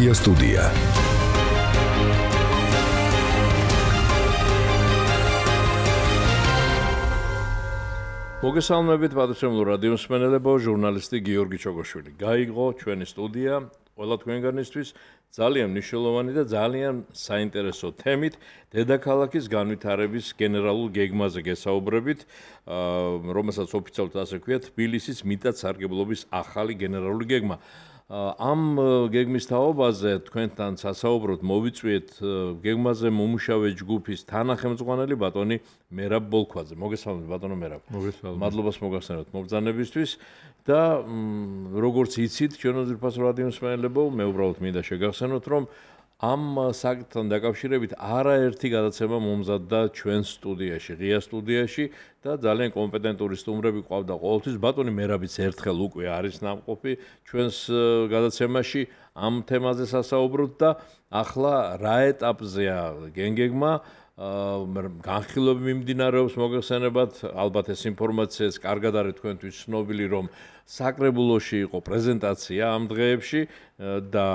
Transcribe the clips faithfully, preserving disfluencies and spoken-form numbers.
ღია სტუდია. მოგესალმებით პატრიოტულ რადიო მსმენელებო, ჟურნალისტი გიორგი ჩოგოშვილი. გაიგო ჩვენი სტუდია ყველა თქვენგანისთვის ძალიან მნიშვნელოვანი და ძალიან საინტერესო თემით დედაქალაქის განვითარების გენერალურ გეგმაზე გესაუბრებით, რომელსაც ოფიციალურად ასე ქვია თბილისის მიტად სარგებლობის ახალი გენერალური გეგმა. ამ გეგმის თაობაზე თქვენთან სასაუბროდ მოვიწვიეთ გეგმაზე მომუშავე ჯგუფის თანახმწვანელი ბატონი მერაბ ბოლქვაძე. მოგესალმებით ბატონო მერაბ. მოგესალმებით. მადლობას მოგახსენებთ მობრძანებისთვის და როგორც იცით ჩვენო ძირფას რადიო მსმენელებო, მე უბრალოდ მინდა შეგახსენოთ, რომ ამ საკითხთან დაკავშირებით არაერთი გადაცემა მომზადდა ჩვენ სტუდიაში, ღია სტუდიაში და ძალიან კომპეტენტური სტუმრები ყავდა ყოველთვის. ბატონი მერაბიც ერთხელ უკვე არის ნამყოფი ჩვენს გადაცემაში ამ თემაზე სასაუბროთ და ახლა რა ეტაპზეა გენგეგმა, განხილვები მიმდინარეობს, მოგეხსენებათ, ალბათ ეს ინფორმაციაც კარგად არის თქვენთვის ცნობილი, რომ საკრებულოში იყო პრეზენტაცია ამ დღეებში და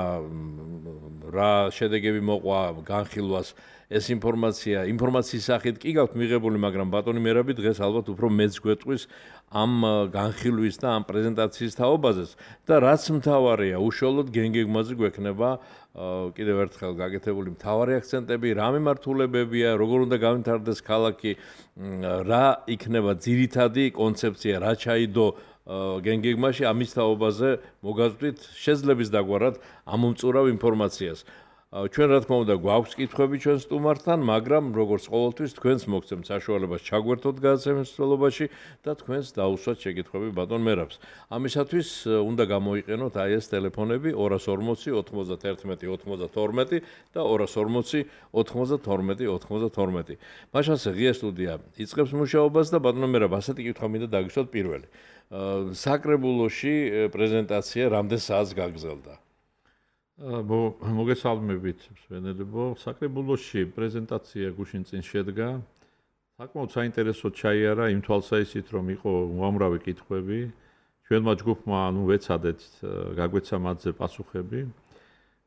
რა შედეგები მოყვა განხილვას, ეს ინფორმაცია ინფორმაციის სახით კი გაქვთ მიღებული, მაგრამ ბატონი მერაბი დღეს ალბათ უფრო მეც გვეტყვის ამ განხილვის და ამ პრეზენტაციის თაობაზეც და რაც მთავარია, უშუალოდ გენგეგმაზე გვექნება კიდევ ერთხელ გაკეთებული მთავარი აქცენტები, რა მიმართულებებია, როგორ უნდა განვითარდეს ქალაქი, რა იქნება ძირითადი კონცეფცია, რა ჩაიდო გენგეგმაში, ამის თაობაზე მოგაზრდით შეძლებს დაგვარად ამომწურავ ინფორმაციას. ჩვენ რა თქმა უნდა გვაქვს კითხვები ჩვენ სტუმართან, მაგრამ როგორც ყოველთვის თქვენს მოგცემთ საშუალებას ჩაგვერთოთ გადაცემის მსვლელობაში და თქვენს დაუსვათ შეკითხვები ბატონ მერაბს. ამისათვის უნდა გამოიყენოთ აი ეს ტელეფონები ორას ორმოცი ოთხმოცდაერთმეტი ოცდათორმეტი და ორას ორმოცი ოთხმოცდათორმეტი ოცდათორმეტი. მაშასე ღია სტუდია იწყებს მუშაობას და ბატონ მერაბ, ასეთი კითხვა მინდა დაგისვათ პირველი. საკრებულოში პრეზენტაცია რამდენ საათს გაგრძელდა? მოგესალმებით მსმენელებო, საკრებულოში პრეზენტაცია გუშინ წინ შედგა. საკმაოდ საინტერესო ჩაიარა იმ თვალსაჩინით, რომ იყო უამრავი კითხვები. ჩვენმა ჯგუფმა ანუ ვეცადეთ გაგვეცა მათზე პასუხები.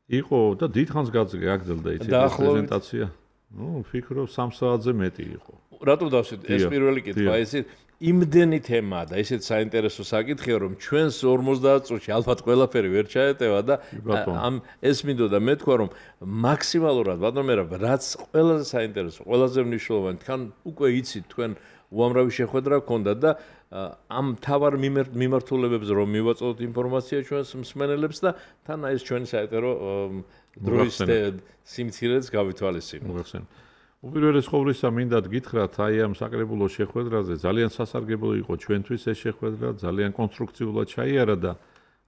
იყო და დიდხანს გაგრძელდა იცით ეს პრეზენტაცია. ნუ ვფიქრობ სამ საათზე მეტი იყო. რატო დავსვით ეს პირველი კითხვა, ისეთ იმდენი თემაა და ისეთ საინტერესო საკითხია, რომ ჩვენს ორმოცდაათ წუთში ალბათ ყველაფერი ვერ ჩაეტევა და ამ ეს მინდოდა მე თქვა, რომ მაქსიმალურად ბატონ მერაბ, რაც ყველაზე საინტერესო, ყველაზე მნიშვნელოვანი, თან უკვე იცით თქვენ უამრავი შეხვედრა გქონდა და ამ თავარ მიმართულებებზე რომ მივაწოდოთ ინფორმაცია ჩვენს მსმენელებს და თან აი ეს ჩვენი საეტერო დროის სიმცირეც გავითვალისწინოთ. უპირველეს ყოვლისა მინდა გითხრათ, აი ამ საკრებულო შეხვედრაზე ძალიან სასარგებლო იყო ჩვენთვის ეს შეხვედრა, ძალიან კონსტრუქციულად ჩაიარა და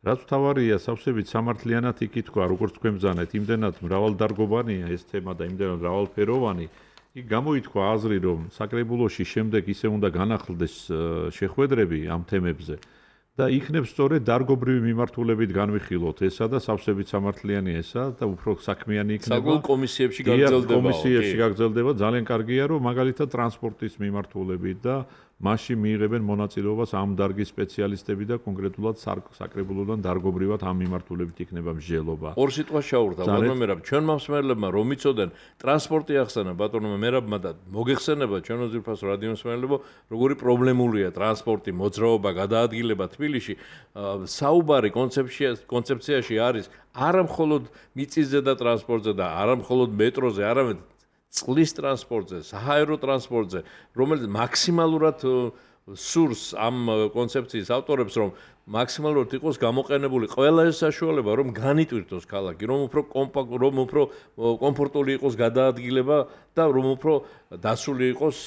რაც მთავარია, სავსებით სამართლიანად იკითხვა, როგორც თქვენ ბრძანეთ, იმდენად მრავალდარგობანია ეს თემა და იმდენად მრავალფეროვანი, იქ გამოითქვა აზრი, რომ საკრებულოში შემდეგ ისე უნდა განახლდეს შეხვედრები ამ თემებზე და იქნებ სწორედ დარგობრივი მიმართულებით განვიხილოთ ესა და სავსებით სამართლიანი ესა და უფრო საქმიანი იქნება. საკულ კომისიებში გაგრძელდება. კომისიებში გაგრძელდება, ძალიან კარგია, რომ მაგალითად ტრანსპორტის მიმართულებით და მასში მიიღებენ მონაწილეობას ამ დარგის სპეციალისტები და კონკრეტულად საკრებულოდან დარგობრივად ამ მიმართულებით იქნება მსჯელობა. ორ სიტყვას ჩაურდა ბატონო მერაბ, ჩვენმა მსმენელებმა რომ იცოდნენ, ტრანსპორტი ახსენა ბატონო მერაბმა და მოგეხსენება ჩვენო ძირფას რადიო მსმენელებო, როგორი პრობლემულია ტრანსპორტი, მოძრაობა, გადაადგილება თბილისში. საუბარი კონცეფციაში არის არა მხოლოდ მიწისზე და ტრანსპორტზე და არა მხოლოდ მეტროზე, არამედ წყლის ტრანსპორტზე, საჰაერო ტრანსპორტზე, რომელიც მაქსიმალურად სურს ამ კონცეფციის ავტორებს, რომ მაქსიმალურად იყოს გამოყენებული ყველა ეს საშუალება, რომ განიტვირთოს ქალაქი, რომ უფრო კომპაქტ, რომ უფრო კომფორტული იყოს გადაადგილება და რომ უფრო დასული იყოს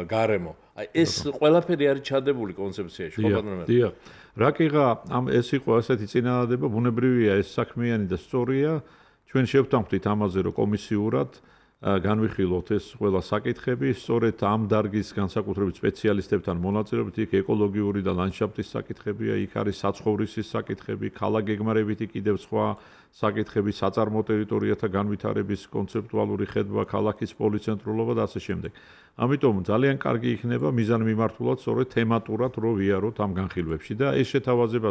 გარემო. აი ეს ყველაფერი არის ჩადებული კონცეფციაში, ხო ბატონო? დიახ. რაკიღა ამ ეს იყო ასეთი წინადადება, ბუნებრივია ეს საქმიანი და სწორია. ჩვენ შევთანხმდით ამაზე, რომ კომისიურად განვიხილოთ ეს ყველა საკითხები, სწორედ ამ დარგის განსაკუთრებით სპეციალისტებთან მონაწილეობით, იქ ეკოლოგიური და ლანდშაფტის საკითხებია, იქ არის საცხოვრისის საკითხები, ქალაქ გეგმარებითი კიდევ სხვა საკითხები, საწარმო ტერიტორიათა განვითარების კონცეპტუალური ხედვა, ქალაქის პოლიცენტრულობა და ასე შემდეგ. ამიტომ ძალიან კარგი იქნება მიზანმიმართულად სწორედ თემატურად რო ვიაროთ ამ განხილვებში და ეს შეთავაზება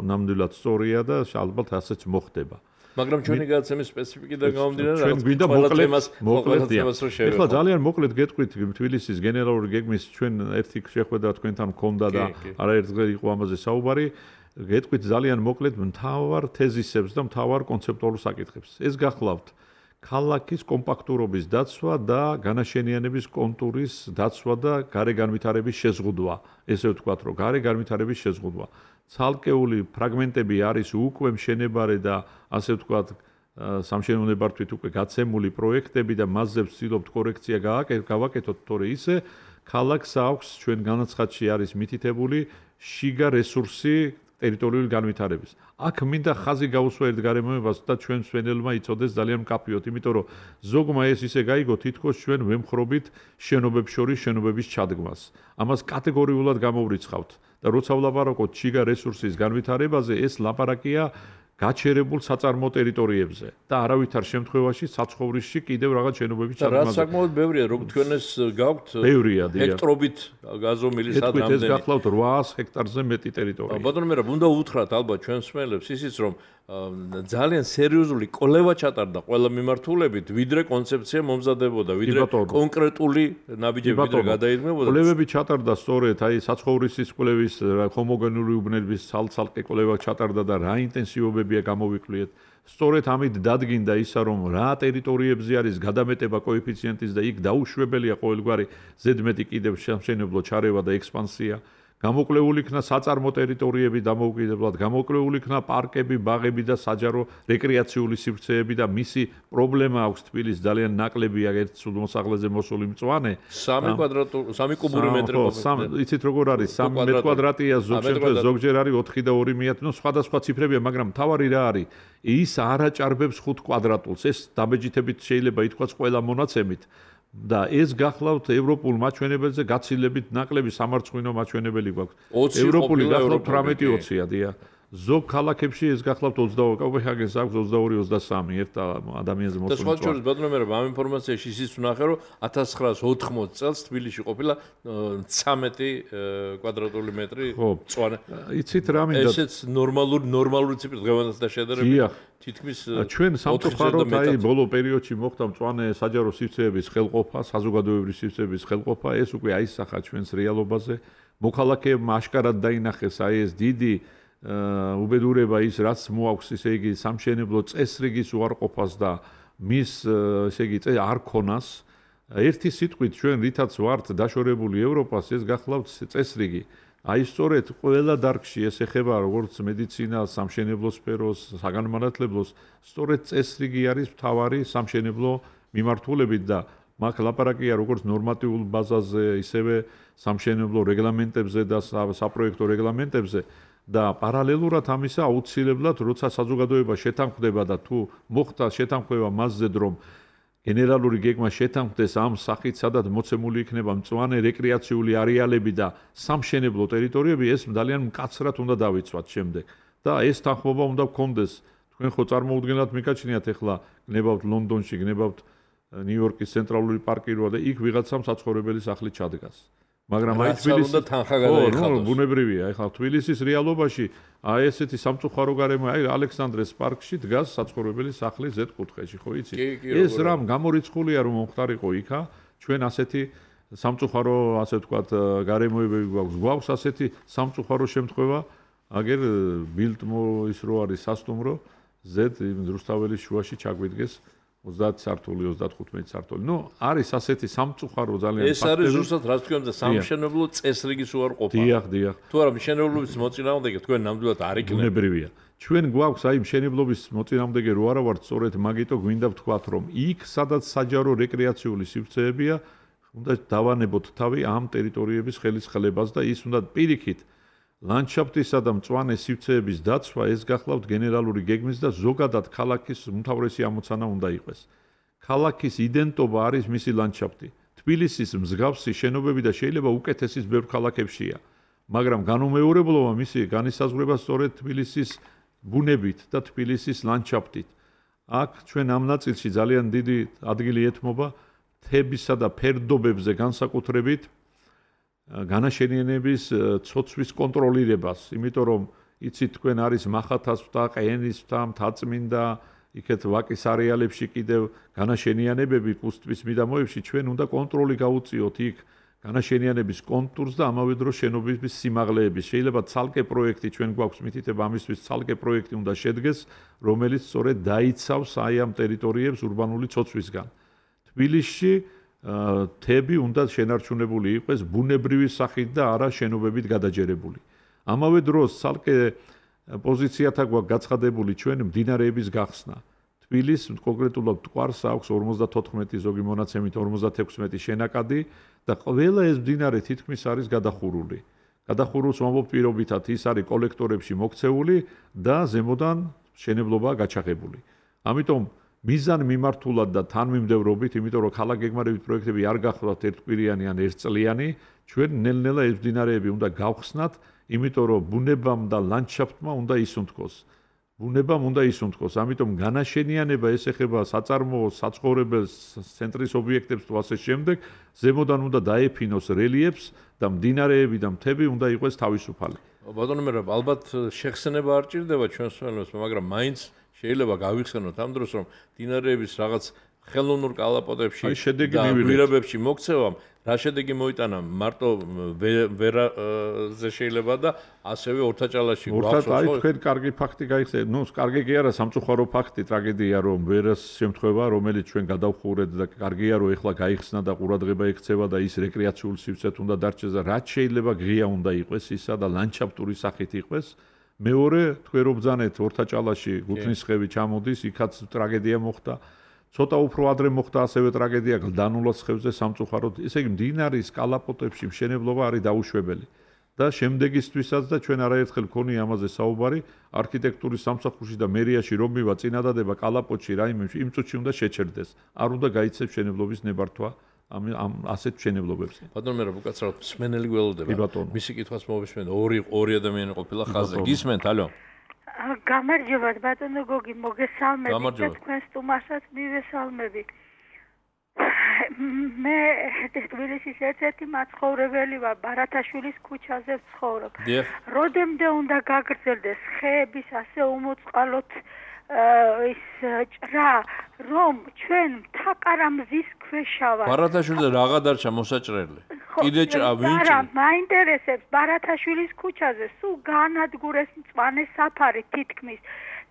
ნამდვილად სწორია და ალბათ ასეც მოხდება. მაგრამ ჩვენი გადაცემის სპეციფიკიდან გამომდინარე ჩვენ გვინდა მოკლედ თემას რო შევეხო. ეხლა ძალიან მოკლედ გეტყვით თბილისის გენერალური გეგმის ჩვენ ერთი შეხვედრა თქვენთან მქონდა და არაერთგზა იყო ამაზე საუბარი. გეტყვით ძალიან მოკლედ მთავარ თეზისებს და მთავარ კონცეპტუალურ საკითხებს. ეს გახლავთ ქალაქის კომპაქტურობის დაცვა და განაშენიანების კონტურის დაცვა და გარე განვითარების შეზღუდვა. ესე ვთქვათ, რომ გარე განვითარების შეზღუდვა. ცალკეული ფრაგმენტები არის უკვე მშენებარე და ასე ვთქვათ, სამშენებლო ნებართვით უკვე გაცემული პროექტები და მასზე ვცდილობთ კორექცია გავაკეთოთ, თორე ისე ქალაქს აქვს ჩვენ განაცხადში არის მითითებული შიგა რესურსი ტერიტორიული განვითარების. აქ მინდა ხაზი გაუსვა ერთ გარემოებას და ჩვენ მსვენელმა იცოდეს ძალიან მკაფიოდ, იმიტომ რომ ზოგმა ეს ისე გაიგო, თითქოს ჩვენ ვემხრობით შენობებს შორის შენობების ჩადგმას. ამას კატეგორიულად გამოვრიცხავთ და როცა ვლაპარაკობთ შიგა რესურსის განვითარებაზე, ეს ლაპარაკია გაჩერებულ საწარმო ტერიტორიებზე და არავითარ შემთხვევაში საცხოვრისში კიდევ რაღაც შენობების ჩადგმაზე. რა საკმაოდ ბევრია, რომ თქვენ ეს გაქვთ ჰექტრობით გაზომილი სად რამდენი. ეს გახლავთ ოთხას ჰექტარზე მეტი ტერიტორია. ბატონო მერაბ, უნდა უთხრათ ალბათ ჩვენ მსმენელებს ისიც, რომ ძალიან სერიოზული კვლევა ჩატარდა ყველა მიმართულებით, ვიდრე კონცეფცია მომზადებოდა, ვიდრე კონკრეტული ნაბიჯები ვიდრე გადაიღმებოდა. კვლევები ჩატარდა სწორედ, აი საცხოვრისის კვლევის, ჰომოგენური უბნების ცალ-ცალკე კვლევა ჩატარდა და რა ინტენსივობებია გამოვიკვლიეთ. სწორედ ამით დადგინდა ისა, რომ რა ტერიტორიებზე არის გადამეტება კოეფიციენტის და იქ დაუშვებელია ყოველგვარი ზედმეტი კიდევ სამშენებლო ჩარევა და ექსპანსია. გამოკვლეული იქნა საწარმო ტერიტორიები დამოუკიდებლად, გამოკვლეული იქნა პარკები, ბაღები და საჯარო რეკრეაციული სივრცეები და მისი პრობლემა აქვს თბილისს ძალიან ნაკლებია ერთ მოსახლეზე მოსული მწვანე. სამი კვადრატ სამი კუბური მეტრი ყოფილი. იცით როგორ არის? სამი მეტრი კვადრატია, ზოგჯერ არის ოთხი და ორი მეათე, ნუ სხვადასხვა ციფრებია, მაგრამ თავარი რა არის? ის არ აჭარბებს ხუთ კვადრატულს. ეს დამეჯითებით შეიძლება ითქვას ყველა მონაცემით. და ეს გახლავთ ევროპულ მაჩვენებელზე გაცილებით ნაკლები სამარცხვინო მაჩვენებელი გვაქვს. ევროპული გახლავთ თვრამეტი ოცია, დიახ. ზოგ ქალაქებში ეს გახლავთ ოცდაორი, კოპენჰაგენს აქვს ოცდაორი ოცდასამი ერთ ადამიანზე მოსული. და სხვა შორის ბატონო მერაბ, ამ ინფორმაციაში ისიც ვნახე, რომ ათას ცხრაას ოთხმოცი წელს თბილისში ყოფილა ცამეტი კვადრატული მეტრი მწვანე. იცით რა მინდა? ესეც ნორმალური ნორმალური ციფრი დღევანდელთან შედარებით. თითქმის ჩვენ სამწუხაროდ აი ბოლო პერიოდში მოხდა მწვანე საჯარო სივრცეების ხელყოფა, საზოგადოებრივი სივრცეების ხელყოფა, ეს უკვე აისახა ჩვენს რეალობაზე. მოქალაქეებმა აშკარად დაინახეს აი ეს დიდი უბედურება ის რაც მოაქვს, ისე იგი სამშენებლო წესრიგის უარყოფას და მის ესე იგი არ ქონას. ერთი სიტყვით ჩვენ რითაც ვართ დაშორებული ევროპას, ეს გახლავთ წესრიგი. აი სწორედ ყველა დარგში ეს ეხება როგორც მედიცინას, სამშენებლო სფეროს, საგანმანათლებლოს, სწორედ წესრიგი არის მთავარი სამშენებლო მიმართულებით და მაგ ლაპარაკია როგორც ნორმატიულ ბაზაზე, ისევე სამშენებლო რეგლამენტებზე და საპროექტო რეგლამენტებზე და პარალელურად ამისა აუცილებლად როცა საზოგადოება შეთანხმდება და თუ მოხდა შეთანხმება მასზე რომ გენერალური გეგმა შეთანხმდეს ამ სახით, სადაც მოცემული იქნება მწვანე რეკრეაციული არეალები და სამშენებლო ტერიტორიები, ეს ძალიან მკაცრად უნდა დავიცვათ შემდეგ. და ეს თანხმობა უნდა გქონდეს. თქვენ ხო წარმოუდგენლად მიკაჩნიათ ახლა გნებავთ ლონდონში, გნებავთ ნიუ-იორკის ცენტრალური პარკი როა და იქ ვიღაცამ საცხოვრებელი სახლი ჩადგას. მაგრამ აი თბილისში თანხა გადაიხადოს. ბუნებრივია, ახლა თბილისის რეალობაში აი ესეთი სამწუხარო გარემო, აი ალექსანდრეს პარკში დგას საცხოვრებელი სახლი ზედ კუთხეში, ხო იცი? ეს რამ გამორიცხულია რომ მომხდარიყო იქა, ჩვენ ასეთი სამწუხარო, ასე ვთქვათ, გარემოებები გვაქვს. გვაქვს ასეთი სამწუხარო შემთხვევა, აგერ ბილდმო ის რო არის სასტუმრო, ზედ რუსთაველის შუაში ჩაგვიდგეს ოცდაათი სართული, ოცდათხუთმეტი სართული. ნუ არის ასეთი სამწუხარო ძალიან ფაქტები. ეს არის ზუსტად რაც თქვენ და სამშენებლო წესრიგის უარყოფა. დიახ, დიახ. თუ არა მშენებლობის მოწინააღმდეგე თქვენ ნამდვილად არ იქნებ. ბუნებრივია. ჩვენ გვაქვს აი მშენებლობის მოწინააღმდეგე რო არა ვართ, სწორედ მაგიტო გვინდა ვთქვათ, რომ იქ სადაც საჯარო რეკრეაციული სივრცეებია, უნდა დავანებოთ თავი ამ ტერიტორიების ხელისხლებას და ის უნდა პირიქით ლანდშაფტისა და მწვანე სივრცეების დაცვა ეს გახლავთ გენერალური გეგმის და ზოგადად ქალაქის უმთავრესი ამოცანა უნდა იყოს. ქალაქის იდენტობა არის მისი ლანდშაფტი. თბილისის მსგავსი შენობები და შეიძლება უკეთესის ბევრ ქალაქებშია. მაგრამ განუმეორებლობა მისი განისაზღვრება სწორედ თბილისის ბუნებით და თბილისის ლანდშაფტით. აქ ჩვენ ამ ნაწილში ძალიან დიდი ადგილი ეთმობა მთებისა და ფერდობებზე განსაკუთრებით განაშენიანების ცოცვის კონტროლირებას, იმიტომ რომ იცით თქვენ არის მახათას ვთა, ყენის ვთა, მთაწმინდა, იქეთ ვაკის არეალებში კიდევ განაშენიანებები კუსტვის მიდამოებში ჩვენ უნდა კონტროლი გაუწიოთ იქ განაშენიანების კონტურს და ამავე დროს შენობის სიმაღლეების. შეიძლება ცალკე პროექტი ჩვენ გვაქვს მითითება ამისთვის ცალკე პროექტი უნდა შედგეს, რომელიც სწორედ დაიცავს აი ამ ტერიტორიებს ურბანული ცოცვისგან. თბილისში თები უნდა შენარჩუნებული იყოს ბუნებრივი სახით და არა შენობებით გადაჯერებული. ამავე დროს ცალკე პოზიციათა გვაქვს გაცხადებული ჩვენ მდინარეების გახსნა. თბილის კონკრეტულად მტკვარს აქვს ორმოცდათოთხმეტი ზოგი მონაცემით ორმოცდათექვსმეტი შენაკადი და ყველა ეს მდინარე თითქმის არის გადახურული. გადახურულს ვამბობ პირობითად ის არის კოლექტორებში მოქცეული და ზემოდან მშენებლობაა გაჩაღებული. ამიტომ მიზან მიმართულად და თანმიმდევრობით, იმიტომ რომ ქალაქგეგმარებით პროექტები არ გახლავთ ერთკვირიანი ან ერთწლიანი, ჩვენ ნელ-ნელა ეს მდინარეები უნდა გავხსნათ, იმიტომ რომ ბუნებამ და ლანდშაფტმა უნდა ისუნთქოს. ბუნებამ უნდა ისუნთქოს, ამიტომ განაშენიანება ეს ეხება საწარმოოს, საცხოვრებელს, ცენტრის ობიექტებს თუ ასე შემდეგ, ზემოდან უნდა დაეფინოს რელიეფს და მდინარეები და მთები უნდა იყოს თავისუფალი. ბატონო მერაბ, ალბათ შეხსენება არ ჭირდება ჩვენს სვენებს, მაგრამ მაინც შეიძლება გავიხსენოთ ამ დროს, რომ მდინარეების რაღაც ხელოვნურ კალაპოტებში და გვირაბებში მოქცევამ რა შედეგი მოიტანა მარტო ვერაზე შეიძლება და ასევე ორთაჭალაში გვაქვს აი თქვენ კარგი ფაქტი გაიხსენეთ. ნუ კარგი კი არა სამწუხარო ფაქტი, ტრაგედია რომ ვერას შემთხვევა, რომელიც ჩვენ გადავხურეთ და კარგია რომ ეხლა გაიხსნა და ყურადღება ექცევა და ის რეკრეაციულ სივრცეთ უნდა დარჩეს და რაც შეიძლება ღია უნდა იყოს ისა და ლანდშაფტური სახით იყოს. მეორე თქვენ რომ ბძანეთ ორთაჭალაში გუთნისხევი ჩამოდის, იქაც ტრაგედია მოხდა. ცოტა უფრო ადრე მოხდა ასევე ტრაგედია გლდანულას ხევზე სამწუხაროდ. ესე იგი მდინარის კალაპოტებში მშენებლობა არის დაუშვებელი. და შემდეგისთვისაც და ჩვენ არაერთხელ გქონია ამაზე საუბარი, არქიტექტურის სამსახურში და მერიაში რომ მივა წინადადება კალაპოტში რაიმე იმ წუთში უნდა შეჩერდეს. არ უნდა გაიცეს მშენებლობის ნებართვა ამ ამ ასეთ მშენებლობებზე. ბატონო მე რა უკაცრავად მსმენელი გველოდება. მისი კითხვას მოვისმენთ, ორი ორი ადამიანი ყოფილა ხაზზე. გისმენთ, ალო. გამარჯობა ბატონო გოგი, მოგესალმებით და თქვენს სტუმარსაც მივესალმები. მე თბილისის ერთ-ერთი მაცხოვრებელი ვარ, ბარათაშვილის ქუჩაზე ვცხოვრობ. როდემდე უნდა გაგრძელდეს ხეების ასე უმოწყალოდ ის ჭრა, რომ ჩვენ თაკარამზის ქვეშა ვარ. ბარათაშვილზე რაღა დარჩა მოსაჭრელი? კიდე ჭრა ვინჭი? არა, მაინტერესებს ბარათაშვილის ქუჩაზე სულ განადგურეს მწვანე საფარი თითქმის.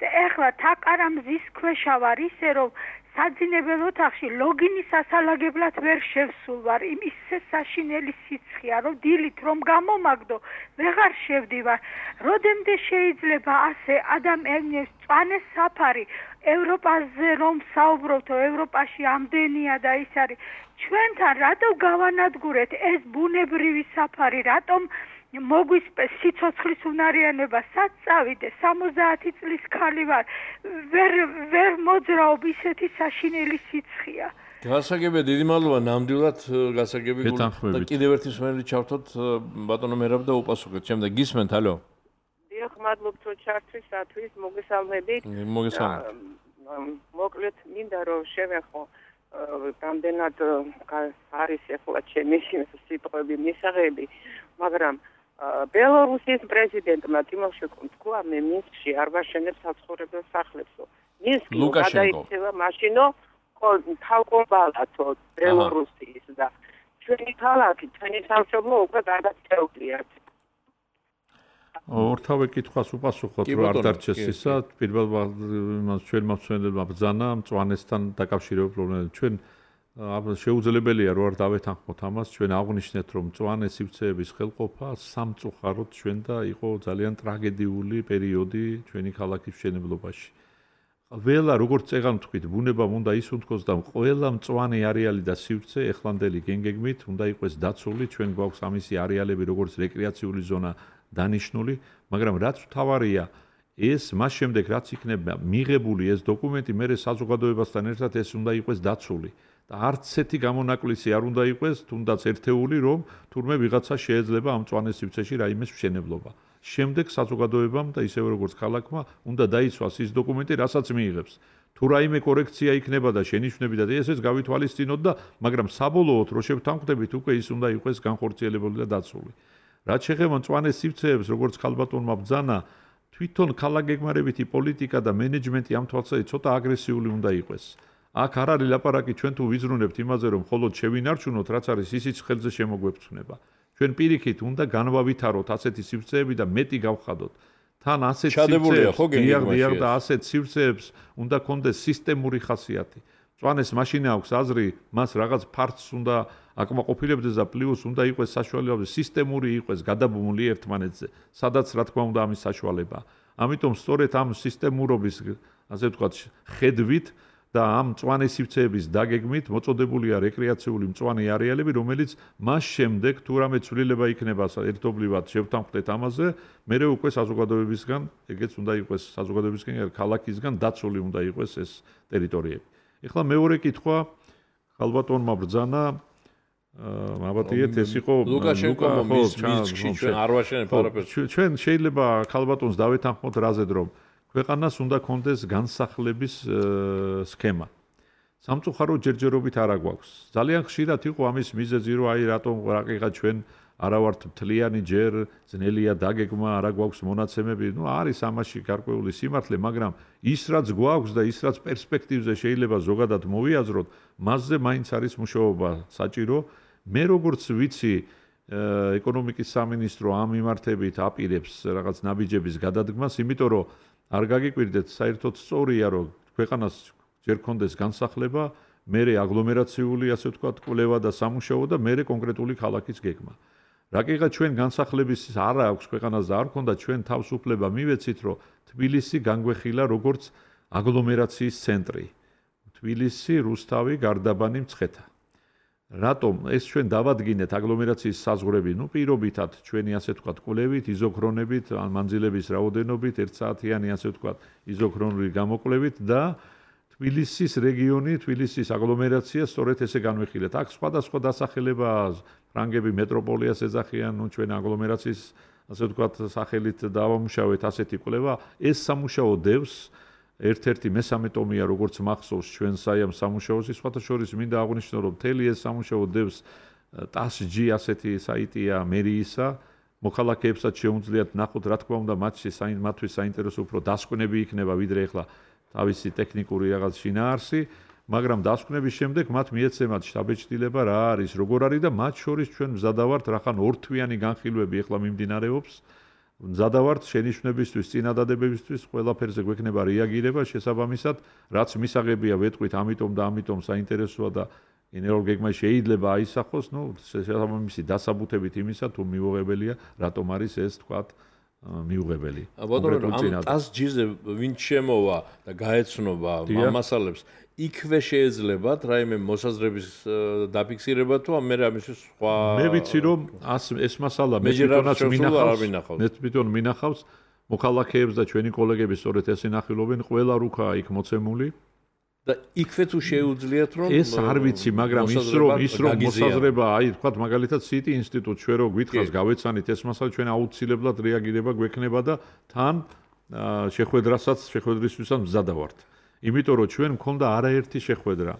და ეხლა თაკარამზის ქვეშა ვარ, ისე რომ საძინებელ ოთახში ლოგინის ასალაგებლად ვერ შევსულ ვარ. იმისე საშინელი სიცხეა, რომ დილით რომ გამომაგდო, ვეღარ შევდივარ. როდემდე შეიძლება ასე ადამიანებს მწვანე საფარი ევროპაზე რომ საუბრობთო, ევროპაში ამდენია და ის არის. ჩვენთან რატო გავანადგურეთ ეს ბუნებრივი საფარი, რატომ მოგვისპეს სიცოცხლის უნარიანობა, სად წავიდე, სამოცდაათი წლის ქალი ვარ, ვერ ვერ მოძრაობ, ისეთი საშინელი სიცხეა. გასაგებია, დიდი მადლობა ნამდვილად გასაგები და კიდევ ერთი მსმენელი ჩავთოთ ბატონო მერაბ და უპასუხეთ. შემდეგ გისმენთ, ალო. დიახ, მადლობთ ჩართვისათვის, მოგესალმებით. მოგესალმებით. მოკლედ მინდა რომ შევეხო რამდენად არის ახლა ჩემი სიტყვები მისაღები, მაგრამ ბელორუსის პრეზიდენტმა ტიმოშენკომ თქვა, მე მინსკში არ ვაშენებ საცხოვრებელ სახლებსო. მინსკი გადაიქცევა მაშინო თავკომბალათო ბელორუსის და ჩვენი ქალაქი, ჩვენი სამშობლო უკვე გადაწევრიათ. ორთავე კითხვას უპასუხოთ, რომ არ დარჩეს ისა, პირველ იმას ჩვენ მომწვენებელმა ბრძანა მწვანესთან დაკავშირებულ პრობლემებს. ჩვენ შეუძლებელია რომ არ დავეთანხმოთ ამას, ჩვენ აღვნიშნეთ, რომ მწვანე სივრცეების ხელყოფა სამწუხაროდ ჩვენ და იყო ძალიან ტრაგედიული პერიოდი ჩვენი ქალაქის მშენებლობაში. ყველა როგორც წეგან თქვით, ბუნებამ უნდა ისუნთქოს და ყველა მწვანე არეალი და სივრცე ეხლანდელი გენგეგმით უნდა იყოს დაცული, ჩვენ გვაქვს ამისი არეალები როგორც რეკრეაციული ზონა დანიშნული, მაგრამ რაც მთავარია, ეს მას შემდეგ რაც იქნება მიღებული ეს დოკუმენტი, მე საზოგადოებასთან ერთად ეს უნდა იყოს დაცული. და არც ერთი გამონაკლისი არ უნდა იყოს, თუნდაც ერთეული, რომ თურმე ვიღაცა შეიძლება ამ მწვანე სივრცეში რაიმეს მშენებლობა. შემდეგ საზოგადოებამ და ისევე როგორც ქალაქმა უნდა დაიცვას ის დოკუმენტი, რასაც მიიღებს. თუ რაიმე კორექცია იქნება და შენიშვნები და ესეც გავითვალისწინოთ და მაგრამ საბოლოოდ რო შევთანხმდებით, უკვე ის უნდა იყოს განხორციელებული და დაცული. რაც შეეხება მწვანე სივრცეებს, როგორც ხალბატონმა ბრძანა, თვითონ ქალაქგეგმარებითი პოლიტიკა და მენეჯმენტი ამ თვალსაზრისით ცოტა აგრესიული უნდა იყოს. აქ არ არის ლაპარაკი ჩვენ თუ ვიზრუნებთ იმაზე რომ მხოლოდ შევინარჩუნოთ რაც არის ისიც ხელზე შემოგვეფრთხნება. ჩვენ პირიქით უნდა განვავითაროთ ასეთი სივრცეები და მეტი გავხადოთ. თან ასეთ სივრცეებს და ასეთ სივრცეებს უნდა კონდეს სისტემური ხასიათი. მწვანეს მაშინ აქვს აზრი, მას რაღაც ფართს უნდა აკმაყოფილებდეს და პლუს უნდა იყოს საშუალება სისტემური იყოს გადაბმული ერთმანეთზე, სადაც რა თქმა უნდა ამის საშუალება. ამიტომ სწორედ ამ სისტემურობის, ასე ვთქვათ, ხედვით და ამ მწვანე სივრცეების დაგეგმით მოწოდებულია რეკრეაციული მწვანე არეალები, რომელიც მას შემდეგ თუ რამე ცვლილება იქნება ერთობლივად შევთანხმდეთ ამაზე, მერე უკვე საზოგადოებისგან, ეგეც უნდა იყოს საზოგადოებისგან, ქალაქისგან დაცული უნდა იყოს ეს ტერიტორიები. ეხლა მეორე კითხვა ხალბატონმა ბრძანა მაბატიეთ ეს იყო ლუკაშენკომ მის მისკში ჩვენ არ ვაშენებ არაფერს. ჩვენ შეიძლება ხალბატონს დავეთანხმოთ რაზედ რომ ქვეყანას უნდა კონდეს განსახლების სქემა. სამწუხარო ჯერჯერობით არა გვაქვს. ძალიან ხშირად იყო ამის მიზეზი რომ აი რატომ რაკიღა ჩვენ არა ვართ მთლიანი ჯერ ძნელია დაგეგმა, არა გვაქვს მონაცემები. ნუ არის ამაში გარკვეული სიმართლე, მაგრამ ის რაც გვაქვს და ის რაც პერსპექტივზე შეიძლება ზოგადად მოვიაზროთ, მასზე მაინც არის მუშაობა საჭირო. მე როგორც ვიცი, ეკონომიკის სამინისტრო ამ მიმართებით აპირებს რაღაც ნაბიჯების გადადგმას, იმიტომ რომ არ გაგიკვირდეთ, საერთოდ სწორია, რომ ქვეყანას ჯერ კონდეს განსახლება, მერე აგლომერაციული, ასე ვთქვათ, კვლევა და სამუშაო და მერე კონკრეტული ქალაქის გეგმა. რაკიღა ჩვენ განსახლების არ აქვს ქვეყანას და არ ქონდა ჩვენ თავისუფლება მივეცით რომ თბილისი განგვეხილა როგორც აგლომერაციის ცენტრი. თბილისი, რუსთავი, გარდაბანი, მცხეთა. რატომ ეს ჩვენ დავადგინეთ აგლომერაციის საზღვრები, ნუ პირობითად ჩვენი ასე ვთქვათ კვლევით, იზოქრონებით, მანძილების რაოდენობით, ერთსაათიანი ასე ვთქვათ იზოქრონული გამოკვლევით და თბილისის რეგიონი, თბილისის აგლომერაცია სწორედ ესე განვიხილეთ. აქ სხვადასხვა დასახელება ფრანგები მეტროპოლიას ეძახიან, ნუ ჩვენ აგლომერაციის ასე ვთქვათ სახელით დავამუშავეთ ასეთი კვლევა. ეს სამუშაო დევს ერთ-ერთი მესამე ტომია როგორც მახსოვს ჩვენ საიამ სამუშაოში, სხვათა შორის მინდა აღვნიშნო რომ მთელი ეს სამუშაო დევს ტასჯი ასეთი საიტია მერიისა, მოქალაქეებსაც შეუძლიათ ნახოთ რა თქმა უნდა მათში მათთვის საინტერესო უფრო დასკვნები იქნება ვიდრე ახლა თავისი ტექნიკური რაღაც შინაარსი, მაგრამ დასკვნების შემდეგ მათ მიეცემათ შტაბეჭდილება რა არის, როგორ არის და მათ შორის ჩვენ მზადავართ რახან ორთვიანი განხილვები ახლა მიმდინარეობს. მზადავართ შენიშვნებისთვის, წინადადებებისთვის, ყველაფერზე გვექნება რეაგირება შესაბამისად, რაც მისაღებია ვეტყვით, ამიტომ და ამიტომ საინტერესოა და გენერალურ გეგმაში შეიძლება აისახოს, ნუ შესაბამისი დასაბუთებით იმისა, თუ მიუღებელია, რატომ არის ეს თქვათ მიუღებელი. ბატონო, ამ ტასჯიზე ვინ შემოვა და გაეცნობა ამ მასალებს, იქვე შეეძლებათ რაიმე მოსაზრების დაფიქსირება თუ ამ მე ამის სხვა მე ვიცი რომ ეს მასალა მე თვითონაც მინახავს მე თვითონ მინახავს მოქალაქეებს და ჩვენი კოლეგები სწორედ ეს ინახილობენ ყველა რუქაა იქ მოცემული და იქვე თუ შეუძლიათ რომ ეს არ ვიცი მაგრამ ის რომ ის რომ მოსაზრება აი თქვა მაგალითად სიტი ინსტიტუტ ჩვენ რო გვითხრას გავეცანით ეს მასალა ჩვენ აუცილებლად რეაგირება გვექნება და თან შეხვედრასაც შეხვედრისთვისაც მზადავართ იმიტომ რომ ჩვენ მქონდა არაერთი შეხვედრა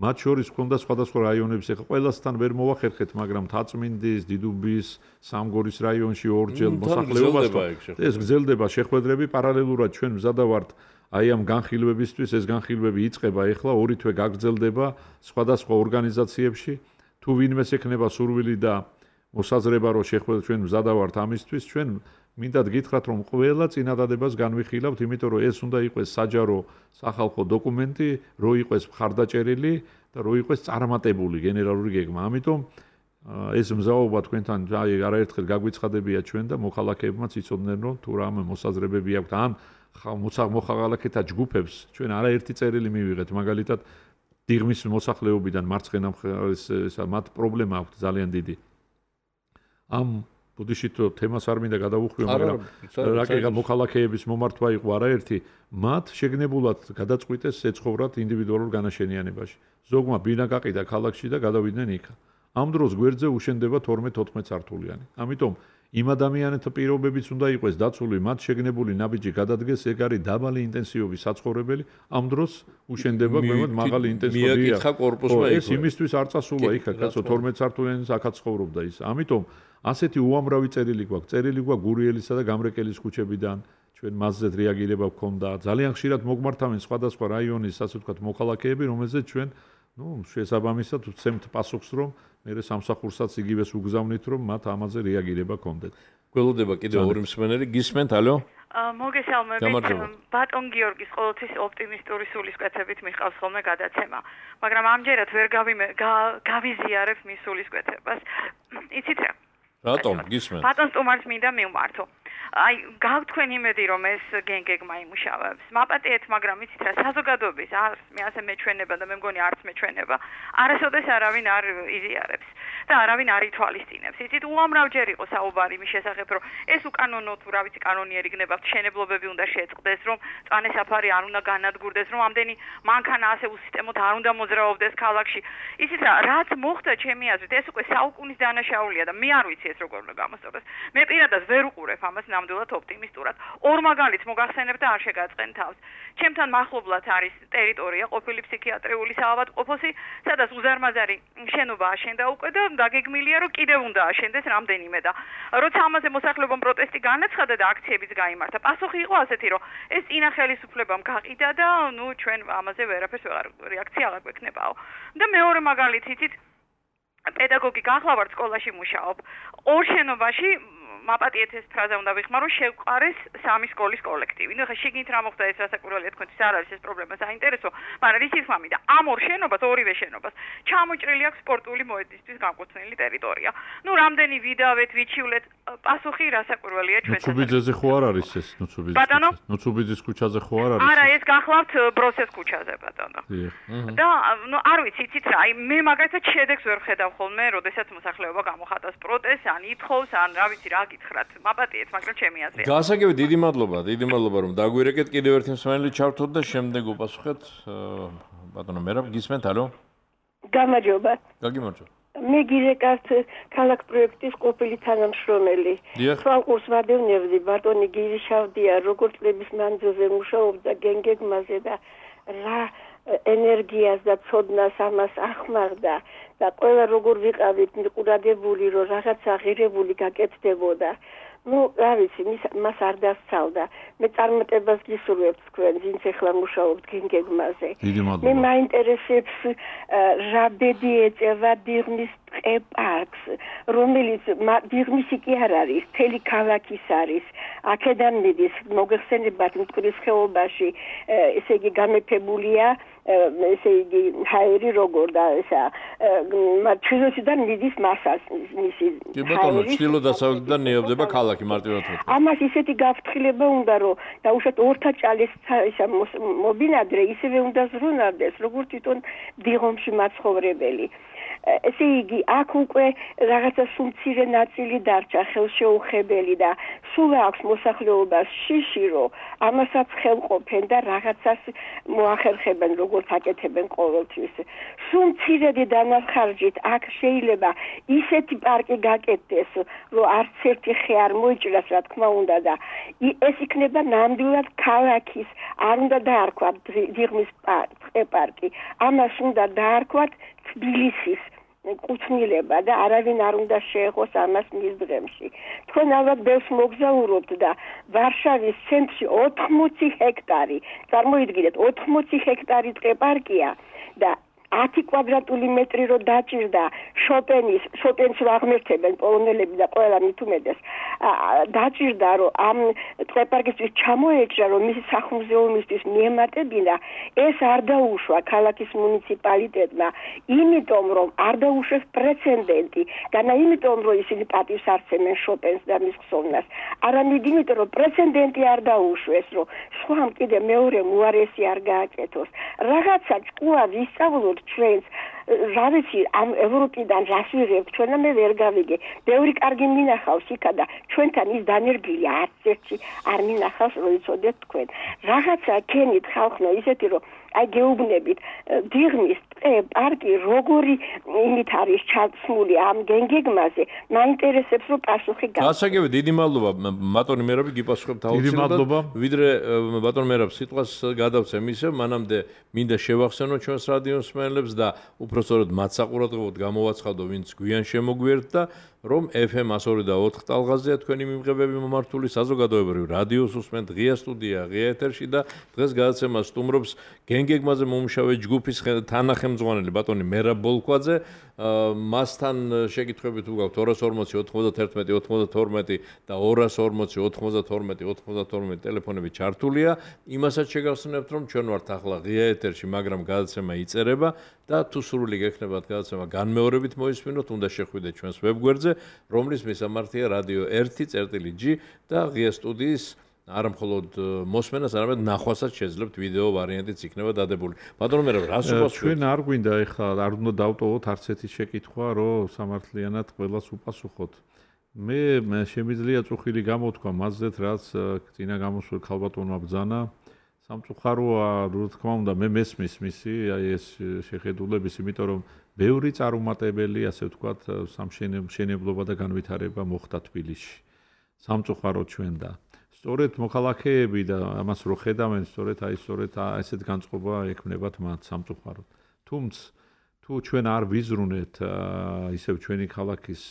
მათ შორის მქონდა სხვადასხვა რაიონების ახლა ყველასთან ვერ მოვახერხეთ მაგრამ თაწმინდის დიდუბის სამგორის რაიონში ორჯერ მოსახლეობასთან ეს გრძელდება შეხვედრები პარალელურად ჩვენ მზადავართ აი ამ განხილვებისთვის ეს განხილვები იწყება ახლა ორი თვე გაგრძელდება სხვადასხვა ორგანიზაციებში თუ ვინმეს ექნება სურვილი და მოსაზრება რომ შეხვედრა ჩვენ მზადავართ ამისთვის ჩვენ მინდათ გითხრათ რომ ყველა წინადადებას განვიხილავთ იმიტომ რომ ეს უნდა იყოს საჯარო სახალხო დოკუმენტი რო იყოს მხარდაჭერილი და რო იყოს წარმატებული გენერალური გეგმა ამიტომ ეს მზაობა თქვენთან აი არაერთხელ გაგვიცხადებია ჩვენ და მოქალაქეებმაც იცოდნენ რომ თუ რამე მოსაზრებები აქვთ ან მოხალხეთა ჯგუფებს ჩვენ არაერთი წერილი მივიღეთ მაგალითად დიღმის მოსახლეობიდან მარცხენა მხარეს მათ პრობლემა აქვთ ძალიან დიდი ამ ბუდიშით თემას არ მინდა გადავუხვიო მაგრამ რაკეღა მოქალაქეების მომართვა იყო არაერთი მათ შეგნებულად გადაწყვიტეს ეცხოვრათ ინდივიდუალურ განაშენიანებაში ზოგმა ბინა გაყიდა ქალაქში და გადავიდნენ იქა ამ დროს გვერდზე უშენდება თორმეტ-ოთხმეტ სართულიანი ამიტომ იმ ადამიანთა პირობებიც უნდა იყოს დაცული მათ შეგნებული ნაბიჯი გადადგეს ეგ არის დაბალი ინტენსივობის საცხოვრებელი ამ დროს უშენდება გვემოთ მაღალი ინტენსივობია მიაკითხა კორპუსმა ეს იმისთვის არ წასულა იქა კაცო თორმეტ სართულიანი აქაც ცხოვრობდა ის ამიტომ ასეთი უამრავი წერილი გვაქვს წერილი გვაქვს გურიელისა და გამრეკელის ქუჩებიდან ჩვენ მასზეც რეაგირება გქონდა. ძალიან ხშირად მოგმართავენ სხვადასხვა რაიონის, ასე ვთქვათ, მოქალაქეები, რომელზეც ჩვენ, ну, შესაბამისად ვცემთ პასუხს, რომ მე სამსახურსაც იგივეს უგზავნით, რომ მათ ამაზე რეაგირება გქონდეთ. გველოდება კიდევ ორი მსმენელი, გისმენთ, ალო? მოგესალმებით. ბატონ გიორგის ყოველთვის ოპტიმისტური სულისკვეთებით მიყავს ხოლმე გადაცემა, მაგრამ ამჯერად ვერ გავიზიარებ მის სულისკვეთებას. იცით რა? რატომ? გისმენთ. ბატონ სტუმარს მინდა მივმართო. აი, გავთქვენ იმედი, რომ ეს გენგეგმა იმუშავებს. მაპატიეთ, მაგრამ იცით რა, საზოგადოების არც მე ასე მეჩვენება და მე მგონი არც მეჩვენება. არასოდეს არავინ არ იზიარებს და არავინ არ ითვალისწინებს. იცით, უამრავჯერ იყო საუბარი მის შესახებ, რომ ეს უკანონო თუ რა ვიცი კანონიერი გნებავთ, შენებლობები უნდა შეწყდეს, რომ წვანე საფარი არ უნდა განადგურდეს, რომ ამდენი მანქანა ასე უსისტემოდ არ უნდა მოძრაობდეს ქალაქში. იცით რა, რაც მოხდა ჩემი აზრით, ეს უკვე საუკუნის დანაშაულია და მე არ ვიცი ეს როგორ უნდა გამოსწორდეს. მე პირადად ვერ უყურებ ამას ნამდვილად ოპტიმისტურად. ორ მაგალითს მოგახსენებ და არ შეგაწყენ თავს. ჩემთან მახლობლად არის ტერიტორია ყოფილი ფსიქიატრიული საავადმყოფოსი, სადაც უზარმაზარი შენობა აშენდა უკვე და დაგეგმილია, რომ კიდევ უნდა აშენდეს რამდენიმე და როცა ამაზე მოსახლეობამ პროტესტი განაცხადა და აქციებიც გაიმართა, პასუხი იყო ასეთი, რომ ეს წინა ხელისუფლებამ გაყიდა და ნუ ჩვენ ამაზე ვერაფერს ვეღარ რეაქცია აღარ გვექნებაო. და მეორე მაგალითი იცით, პედაგოგი გახლა ვარ სკოლაში მუშაობ. ორ შენობაში მაპატიეთ ეს ფრაზა უნდა ვიხმარო, შევყარეს სამი სკოლის კოლექტივი. ნუ ხა შეგინით რა მოხდა ეს რასაკვირველია თქვენთვის არ არის ეს პრობლემა საინტერესო, მაგრამ ის ის მამიდა ამ ორ შენობას, ორივე შენობას ჩამოჭრილი აქვს სპორტული მოედნისთვის განკუთვნილი ტერიტორია. ნუ რამდენი ვიდავეთ, ვიჩივლეთ, პასუხი რასაკვირველია ჩვენთან. ნუცუბიძეზე ხო არ არის ეს ნუცუბიძის? ბატონო? ნუცუბიძის ქუჩაზე ხო არ არის? არა, ეს გახლავთ ბროსეს ქუჩაზე, ბატონო. და ნუ არ ვიცი, იცით რა, აი მე მაგალითად შედეგს ვერ ხედავ ხოლმე, როდესაც მოსახლეობა გამოხატავს პროტესტს, ან ითხოვს, ან რა ვიცი რა გითხრათ, მაპატიეთ, მაგრამ ჩემი აზრია. გასაგები, დიდი მადლობა, დიდი მადლობა რომ დაგვირეკეთ. კიდევ ერთი მსმენელი ჩავთოთ და შემდეგ უპასუხეთ. ბატონო მერაბ, გისმენთ, ალო? გამარჯობა. გაგიმარჯობა. მე გირეკავთ ქალაქ პროექტის ყოფილი თანამშრომელი. თვალყურს ვადევნებდი, ბატონი გირიშავდია, როგორც წლების მანძილზე მუშაობდა გენგეგმაზე და რა ენერგიას და ცოდნას ამას ახმარდა და ყველა როგორ ვიყავით მიყურადებული, რომ რაღაცა ღირებული გაკეთდებოდა. ну, რა ვიცი, მას არ დასწავდა. მე წარმატებას გისურვებთ თქვენ, ვინც ახლა მუშაობთ გენგეგმაზე. მე მაინტერესებს რა ბედი ეწევა დიღმის პარკს, რომელიც დიღმისი კი არ არის, მთელი ქალაქის არის. აქედან მიდის, მოგეხსენებათ მტკვრის ხეობაში, ესე იგი გამეფებულია, ესე იგი ჰაერი როგორ და ესა ჩრდილოეთიდან მიდის მასას მისი. კი ბატონო, ჩრდილო-დასავლეთიდან ნეობდება ქალაქი მარტივად ვთქვი. ამას ისეთი გაფრთხილება უნდა, რომ დაუშვათ ორთა ჭალის ისა მობინადრე ისევე უნდა ზრუნავდეს, როგორც თვითონ დიღომში მაცხოვრებელი. ესე იგი, აქ უკვე რაღაცა სუმცირე ნაწილი დარჩა ხელშეუხებელი და სულ აქვს მოსახლეობას შიში, რომ ამასაც ხელყოფენ და რაღაცას მოახერხებენ, როგორც აკეთებენ ყოველთვის. სუმცირედი დანახარჯით აქ შეიძლება ისეთი პარკი გაკეთდეს, რომ არც ერთი ხე არ მოიჭრას, რა თქმა უნდა და ეს იქნება ნამდვილად ქალაქის, არ უნდა დაარქვათ დიღმის პარკი, ამას უნდა დაარქვათ თბილისის კუთვნილება და არავინ არ უნდა შეეხოს ამას მის დღემში. თქვენ ალბათ ბევრს მოგზაურობთ და ვარშავის ცენტრში ოთხმოცი ჰექტარი, წარმოიდგინეთ, ოთხმოცი ჰექტარი ტყე-პარკია და ათი კვადრატული მეტრი რო დაჭირდა შოპენის, შოპენს რო აღმერთებენ პოლონელები და ყველა მით უმეტეს, დაჭირდა რომ ამ ტყე-პარკისთვის ჩამოეჭრა, რომ მისი სახლ-მუზეუმისთვის მიემატებინა, ეს არ დაუშვა ქალაქის მუნიციპალიტეტმა, იმიტომ რომ არ დაუშვეს პრეცედენტი, განა იმიტომ რომ ისინი პატივს არცემენ შოპენს და მის ხსოვნას, არამედ იმიტომ რომ პრეცედენტი არ დაუშვეს, რომ სხვამ კიდე მეორე უარესი არ გააკეთოს. რაღაცა ჭკუა ვისწავლოთ ჩვენს, რა ვიცი, ამ ევროპიდან რას ვიღებთ ჩვენ და მე ვერ გავიგე. ბევრი კარგი მინახავს იქა და ჩვენთან ის დანერგილი არც ერთი არ მინახავს, რომ იცოდეთ თქვენ. რაღაცა ქენით ხალხო ისეთი, რომ აი გეუბნებით, დიღმის პარკი როგორი იმით არის ჩაცმული ამ გენგეგმაზე, მაინტერესებს რომ პასუხი გავა. გასაგები, დიდი მადლობა, ბატონი მერაბი, გიპასუხებთ აუცილებლად. ვიდრე ბატონ მერაბ სიტყვას გადავცემ ისევ, მანამდე მინდა შევახსენო ჩვენს რადიო მსმენელებს და უпроსწორად მათ საყურადღებოდ გამოვაცხადო, ვინც გვიან შემოგვიერთდა. რომ F M one oh two და four ტალღაზეა თქვენი მიმღებები მომართული საზოგადოებრივ რადიოს უსმენთ ღია სტუდია, ღია ეთერში და დღეს გადაცემას სტუმრობს გენგეგმაზე მომუშავე ჯგუფის თანახმწვანელი ბატონი მერაბ ბოლქვაძე. მასთან შეკითხვები თუ გაქვთ two forty ninety-one ninety-two და two forty ninety-two ninety-two ტელეფონები ჩართულია. იმასაც შეგახსენებთ, რომ ჩვენ ვართ ახლა ღია ეთერში, მაგრამ გადაცემა იწერება და თუ სრული გექნებათ გადაცემა განმეორებით მოისმინოთ, უნდა შეხვიდეთ ჩვენს ვებგვერდზე, რომლის მისამართია რადიო one G და ღია სტუდიის არა მხოლოდ მოსმენას, არამედ ნახვასაც შეძლებთ ვიდეო ვარიანტიც იქნება დადებული. ბატონო მერაბ, რას უპასუხებთ? ჩვენ არ გვინდა ეხლა არ უნდა დავტოვოთ არც ერთი შეკითხვა, რომ სამართლიანად ყველას უპასუხოთ. მე შემიძლია წუხილი გამოთქვა მასზეც, რაც წინა გამოსულ ქალბატონმა ბრძანა. სამწუხაროა, რა თქმა უნდა, მე მესმის მისი აი ეს შეხედულების, იმიტომ რომ ბევრი წარუმატებელი, ასე ვთქვათ, სამშენებლობა და განვითარება მოხდა თბილისში. სამწუხაროდ ჩვენ და სწორედ მოქალაქეები და ამას რო ხედავენ, სწორედ აი სწორედ ესეთ განწყობა ექმნებათ მათ სამწუხაროდ. თუმცა თუ ჩვენ არ ვიზრუნეთ ისევ ჩვენი ქალაქის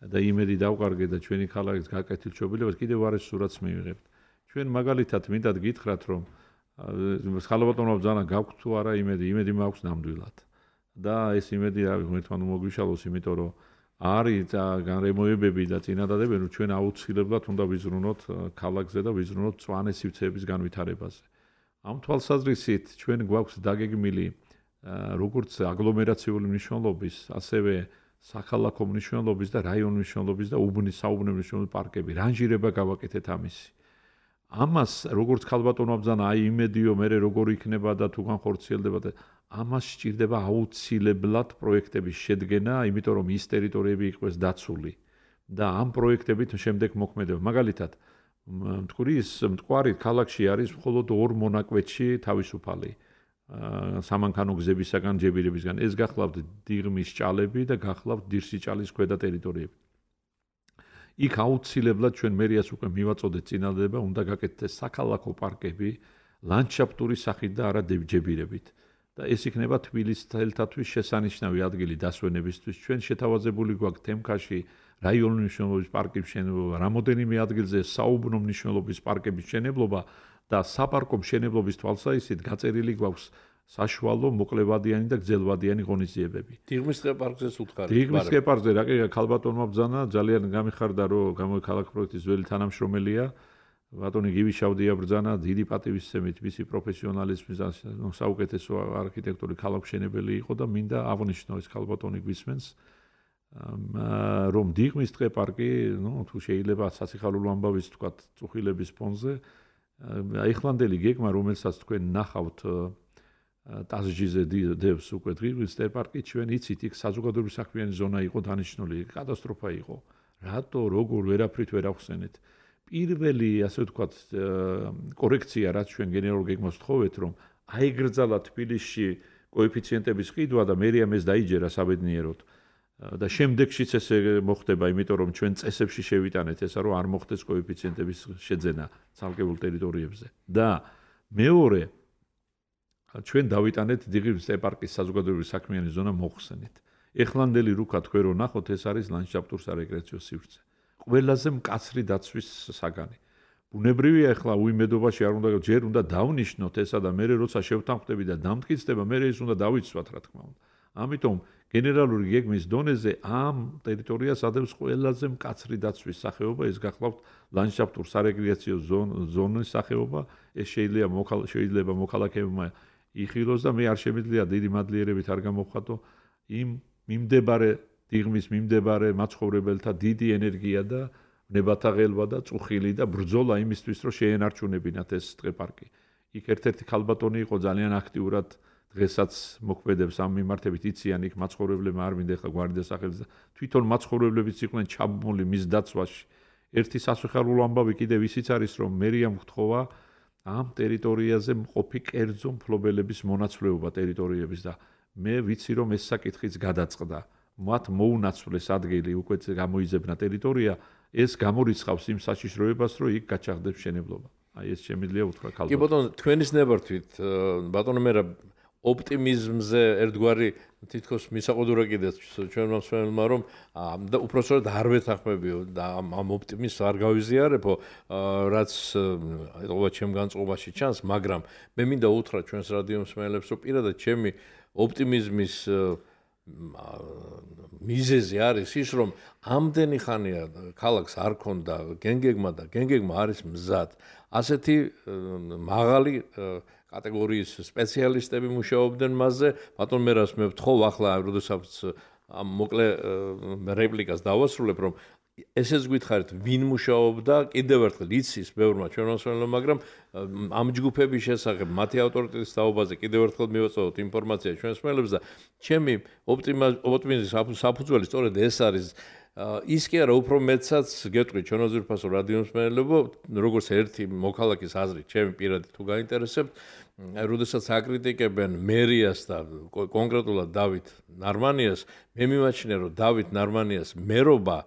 და იმედი დავყარგეთ და ჩვენი ქალაქის გაკეთილშობილებას, კიდევ არ ეს სურათს მივიღებთ. ჩვენ მაგალითად მინდათ გითხრათ, რომ ხალბატონო ბრძანა გაქვთ თუ არა იმედი, იმედი მაქვს ნამდვილად. და ეს იმედი რა ვიცი, ერთმანეთს მოგვიშალოს, იმიტომ რომ არის განრემოებები და წინადადებები, რომ ჩვენ აუცილებლად უნდა ვიზრუნოთ ქალაქზე და ვიზრუნოთ მწვანე სივრცეების განვითარებაზე. ამ თვალსაზრისით ჩვენ გვაქვს დაგეგმილი როგორც აგლომერაციული მნიშვნელობის, ასევე საქალაქო მნიშვნელობის და რაიონული მნიშვნელობის და უბნის საუბნე მნიშვნელობის პარკები. რანჟირება გავაკეთეთ ამისი. ამას როგორც ქალბატონმა ბრძანა, აი იმედიო მე როგორ იქნება და თუ განხორციელდება და ამას სჭირდება აუცილებლად პროექტების შედგენა, იმიტომ რომ ის ტერიტორიები იყოს დაცული და ამ პროექტებით შემდეგ მოქმედება. მაგალითად, მტკვრის მტკვარი ქალაქში არის მხოლოდ ორ მონაკვეთში თავისუფალი სამანქანო გზებისაგან, ჯებირებისგან. ეს გახლავთ დიღმის ჭალები და გახლავთ დირსიჭალის ქვედა ტერიტორიები. იქ აუცილებლად ჩვენ მერიას უკვე მივაწოდეთ წინადადება, უნდა გაკეთდეს საქალაქო პარკები ლანდშაფტური სახით და არა ჯებირებით. და ეს იქნება თბილისელთათვის შესანიშნავი ადგილი დასვენებისთვის. ჩვენ შეთავაზებული გვაქვს თემქაში რაიონული მნიშვნელობის პარკის მშენებლობა, რამოდენიმე ადგილზე საუბნო მნიშვნელობის პარკების მშენებლობა და საპარკო მშენებლობის თვალსაზრისით გაწერილი გვაქვს საშუალო, მოკლევადიანი და გრძელვადიანი ღონისძიებები. დიღმის ტყე-პარკზეც უთხარით. დიღმის ტყე-პარკზე რა კი ქალბატონმა ბრძანა, ძალიან გამიხარდა, რომ გამოიქალაქ პროექტის ძველი თანამშრომელია. ბატონი გივი შავდია ბრძანა, დიდი პატივისცემით მისი პროფესიონალიზმის საუკეთესო არქიტექტორი ქალაქმშენებელი იყო და მინდა აღნიშნო ეს ქალბატონი გვისმენს, რომ დიღმის ტყე-პარკი, ნუ თუ შეიძლება სასიხარულო ამბავის თქვათ, წუხილების ფონზე, აიხლანდელი გეგმა, რომელსაც თქვენ ნახავთ ტაზჯიზე დევს უკვე დიღმის ტყე-პარკი, ჩვენ იცით, იქ საზოგადოებრივი საქმიანი ზონა იყო დანიშნული, კატასტროფა იყო. რატო, როგორ ვერაფრით ვერ ახსენეთ? პირველი, ასე ვთქვათ, კორექცია, რაც ჩვენ გენერალურ გეგმას ვთხოვეთ, რომ აიგრძალა თბილისში კოეფიციენტების ყიდვა და მერიამ ეს დაიჯერა საბედნიეროდ. და შემდეგშიც ესე მოხდება, იმიტომ რომ ჩვენ წესებში შევიტანეთ ესა, რომ არ მოხდეს კოეფიციენტების შეძენა ცალკეულ ტერიტორიებზე. და მეორე, ჩვენ დავიტანეთ დიღმის ტყე-პარკის საზოგადოებრივი საქმიანი ზონა მოხსენით. ეხლანდელი რუქა თქვენ რო ნახოთ, ეს არის ლანდშაფტურ-სარეკრეაციო სივრცე. ყველაზე მკაცრი დაცვის საგანი. ბუნებრივია ახლა უიმედობაში არ უნდა ჯერ უნდა დავნიშნოთ ესა და მე როცა შევთანხმდები და დამტკიცდება, მე ეს უნდა დავიცვათ რა თქმა უნდა. ამიტომ გენერალური გეგმის დონეზე ამ ტერიტორიას ადევს ყველაზე მკაცრი დაცვის სახეობა, ეს გახლავთ ლანდშაფტურ-სარეკრეაციო ზონის სახეობა, ეს შეიძლება შეიძლება მოქალაქეებმა იხილოს და მე არ შემიძლია დიდი მადლიერებით არ გამოვხატო იმ მიმდებარე დიღმის მიმდებარე მაცხოვრებელთა დიდი ენერგია და ნებათაღელვა და წუხილი და ბრძოლა იმისთვის, რომ შეენარჩუნებინათ ეს ტყე-პარკი. იქ ერთ-ერთი ქალბატონი იყო ძალიან აქტიურად დღესაც მოქმედებს ამ მიმართებით, იციან იქ მაცხოვრებლებმა არ მინდა ახლა გვარდია სახელის და თვითონ მაცხოვრებლებიც იყვნენ ჩაბმული მის დაცვაში. ერთი სასიხარულო ამბავი კიდევ ისიც არის, რომ მერიამ გთხოვა ამ ტერიტორიაზე მყოფი კერძო მფლობელების მონაცვლეობა ტერიტორიების და მე ვიცი, რომ ეს საკითხიც გადაწყდა. მათ მოუნაცვლეს ადგილი, უკვე გამოიძებნა ტერიტორია, ეს გამორიცხავს იმ საშიშროებას, რომ იქ გაჩაღდებს მშენებლობა. აი ეს შემიძლია უთხრა ქალბატონო. კი ბატონო, თქვენის ნებართვით, ბატონო მერაბ ოპტიმიზმზე ერთგვარი თითქოს მისაყუდურა კიდეც ჩვენმა მსმენელმა რომ და უпроსტოდ არ ვეთანხმებიო და ამ ოპტიმიზმს არ გავიზიარებო რაც ეთყობა ჩემ განწყობაში ჩანს მაგრამ მე მინდა უთხრა ჩვენს რადიო მსმენელებს რომ პირადად ჩემი ოპტიმიზმის მიზეზი არის ის რომ ამდენი ხანია ქალაქს არ ქონდა გენგეგმა და გენგეგმა არის მზად ასეთი მაღალი კატეგორიის სპეციალისტები მუშაობდნენ მასზე ბატონ მერას მე ვთხოვ ახლა როდესაც ამ მოკლე რეპლიკას დავასრულებ რომ ესეც გითხარით ვინ მუშაობდა კიდევ ერთხელ იცის ბევრმა ჩვენმა მსმენელმა მაგრამ ამ ჯგუფების შესახებ მათი ავტორიტეტის თაობაზე კიდევ ერთხელ მივაწვევთ ინფორმაცია ჩვენს მსმენელებს და ჩემი ოპტიმიზმის საფუძველი სწორედ ეს არის ის კი არა უფრო მეტსაც გეტყვი ჩვენო ძვირფასო რადიო მსმენელებო როგორც ერთი მოქალაქის აზრით ჩემი პირადი თუ გაინტერესებთ როდესაც აკრიტიკებენ მერიას და კონკრეტულად დავით ნარმანიას მე მიმაჩნია რომ დავით ნარმანიას მერობა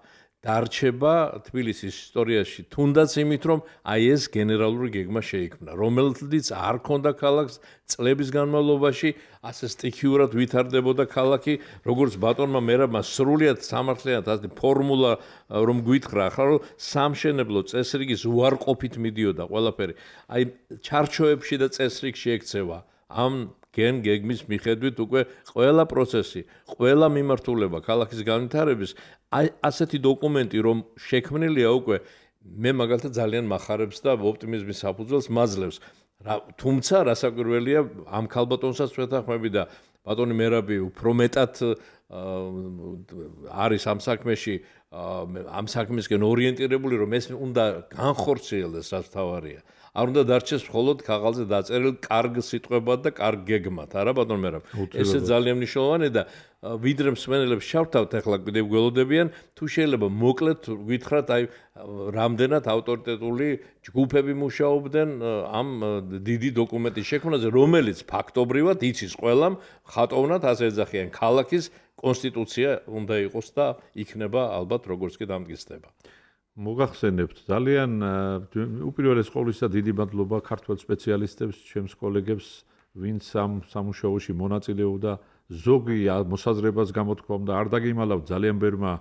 დარჩება თბილისის ისტორიაში თუნდაც იმით რომ აი ეს გენერალური გეგმა შეიქმნა რომელთაც არ ქონდა ქალაქს წლების განმავლობაში ასე სტიქიურად ვითარდებოდა ქალაქი როგორც ბატონმა მერაბმა სრულიად სამართლიანად ასე ფორმულა რომ გვითხრა ახლა რომ სამშენებლო წესრიგის უარყოფით მიდიოდა ყველაფერი აი ჩარჩოებში და წესრიგში ექცევა ამ გენ გეგმის მიხედვით უკვე ყველა პროცესი ყველა მიმართულება ქალაქის განვითარების აი ასეთი დოკუმენტი რომ შექმნილია უკვე მე მაგალითად ძალიან მახარებს და ოპტიმიზმის საფუძველს მაძლევს თუმცა რასაკვირველია ამ ქალბატონსაც ვეთანხმები და ბატონი მერაბი უფრო მეტად არის ამ საქმეში ამ საქმისკენ ორიენტირებული რომ ეს უნდა განხორციელდეს რაც თავარია არ უნდა დარჩეს მხოლოდ ქაღალზე დაწერილ კარგ სიტყვებად და კარგ გეგმად არა ბატონ მერაბ ესე ძალიან მნიშვნელოვანია და ვიდრე მსმენელებს შევთავთ ახლა კიდევ გველოდებიან თუ შეიძლება მოკლედ გითხრათ აი რამდენად ავტორიტეტული ჯგუფები მუშაობდნენ ამ დიდი დოკუმენტის შექმნაზე რომელიც ფაქტობრივად იცის ყველამ ხატოვნად ასე ეძახიან ქალაქის კონსტიტუცია უნდა იყოს და იქნება ალბათ როგორც კი დამტკიცდება მოგახსენებთ ძალიან უპირველეს ყოვლისა დიდი მადლობა ქართველ სპეციალისტებს ჩემს კოლეგებს ვინც ამ სამუშაოში მონაწილეობდა ზოგი მოსაზრებას გამოთქვამდა არ დაგიმალავთ ძალიან ბევრმა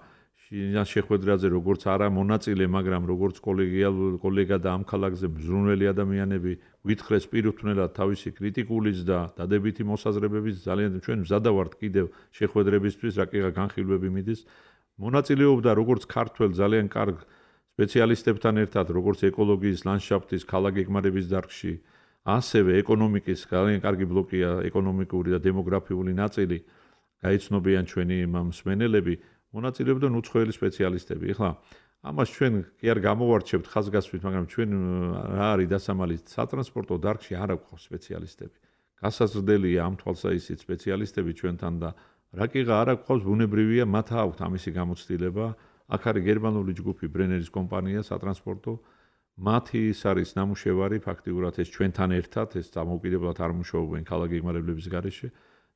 შინას შეხვედრაზე როგორც არა მონაწილე მაგრამ როგორც კოლეგიალ კოლეგა და ამ ქალაქზე მზრუნველი ადამიანები გვითხრეს პირუთვნელად თავისი კრიტიკულის და დადებითი მოსაზრებების ძალიან ჩვენ მზადავართ კიდევ შეხვედრებისთვის რა კი განხილვები მიდის მონაწილეობდა როგორც ქართველ ძალიან კარგ სპეციალისტებთან ერთად როგორც ეკოლოგიის ლანდშაფტის ქალაქგეგმარების დარგში ასევე ეკონომიკის ძალიან კარგი ბლოკია ეკონომიკური და დემოგრაფიული ნაწილი გაიცნობიან ჩვენი მსმენელები მონაწილეობდნენ უცხოელი სპეციალისტები ეხლა ამას ჩვენ კი არ გამოვარჩევთ ხაზგასმით მაგრამ ჩვენ რა არის დასამალი სატრანსპორტო დარგში არ აქვს სპეციალისტები გასაზრდელია ამ თვალსაჩინო სპეციალისტები ჩვენთან და რა კიღა არ აქვს ბუნებრივია მათ აქვთ ამისი გამოცდილება აქ არის გერმანული ჯგუფი ბრენერის კომპანია სატრანსპორტო მათი ის არის ნამუშევარი ფაქტიურად ეს ჩვენთან ერთად ეს დამოუკიდებლად არ მუშაობენ ქალაქგეგმარებლების გარეშე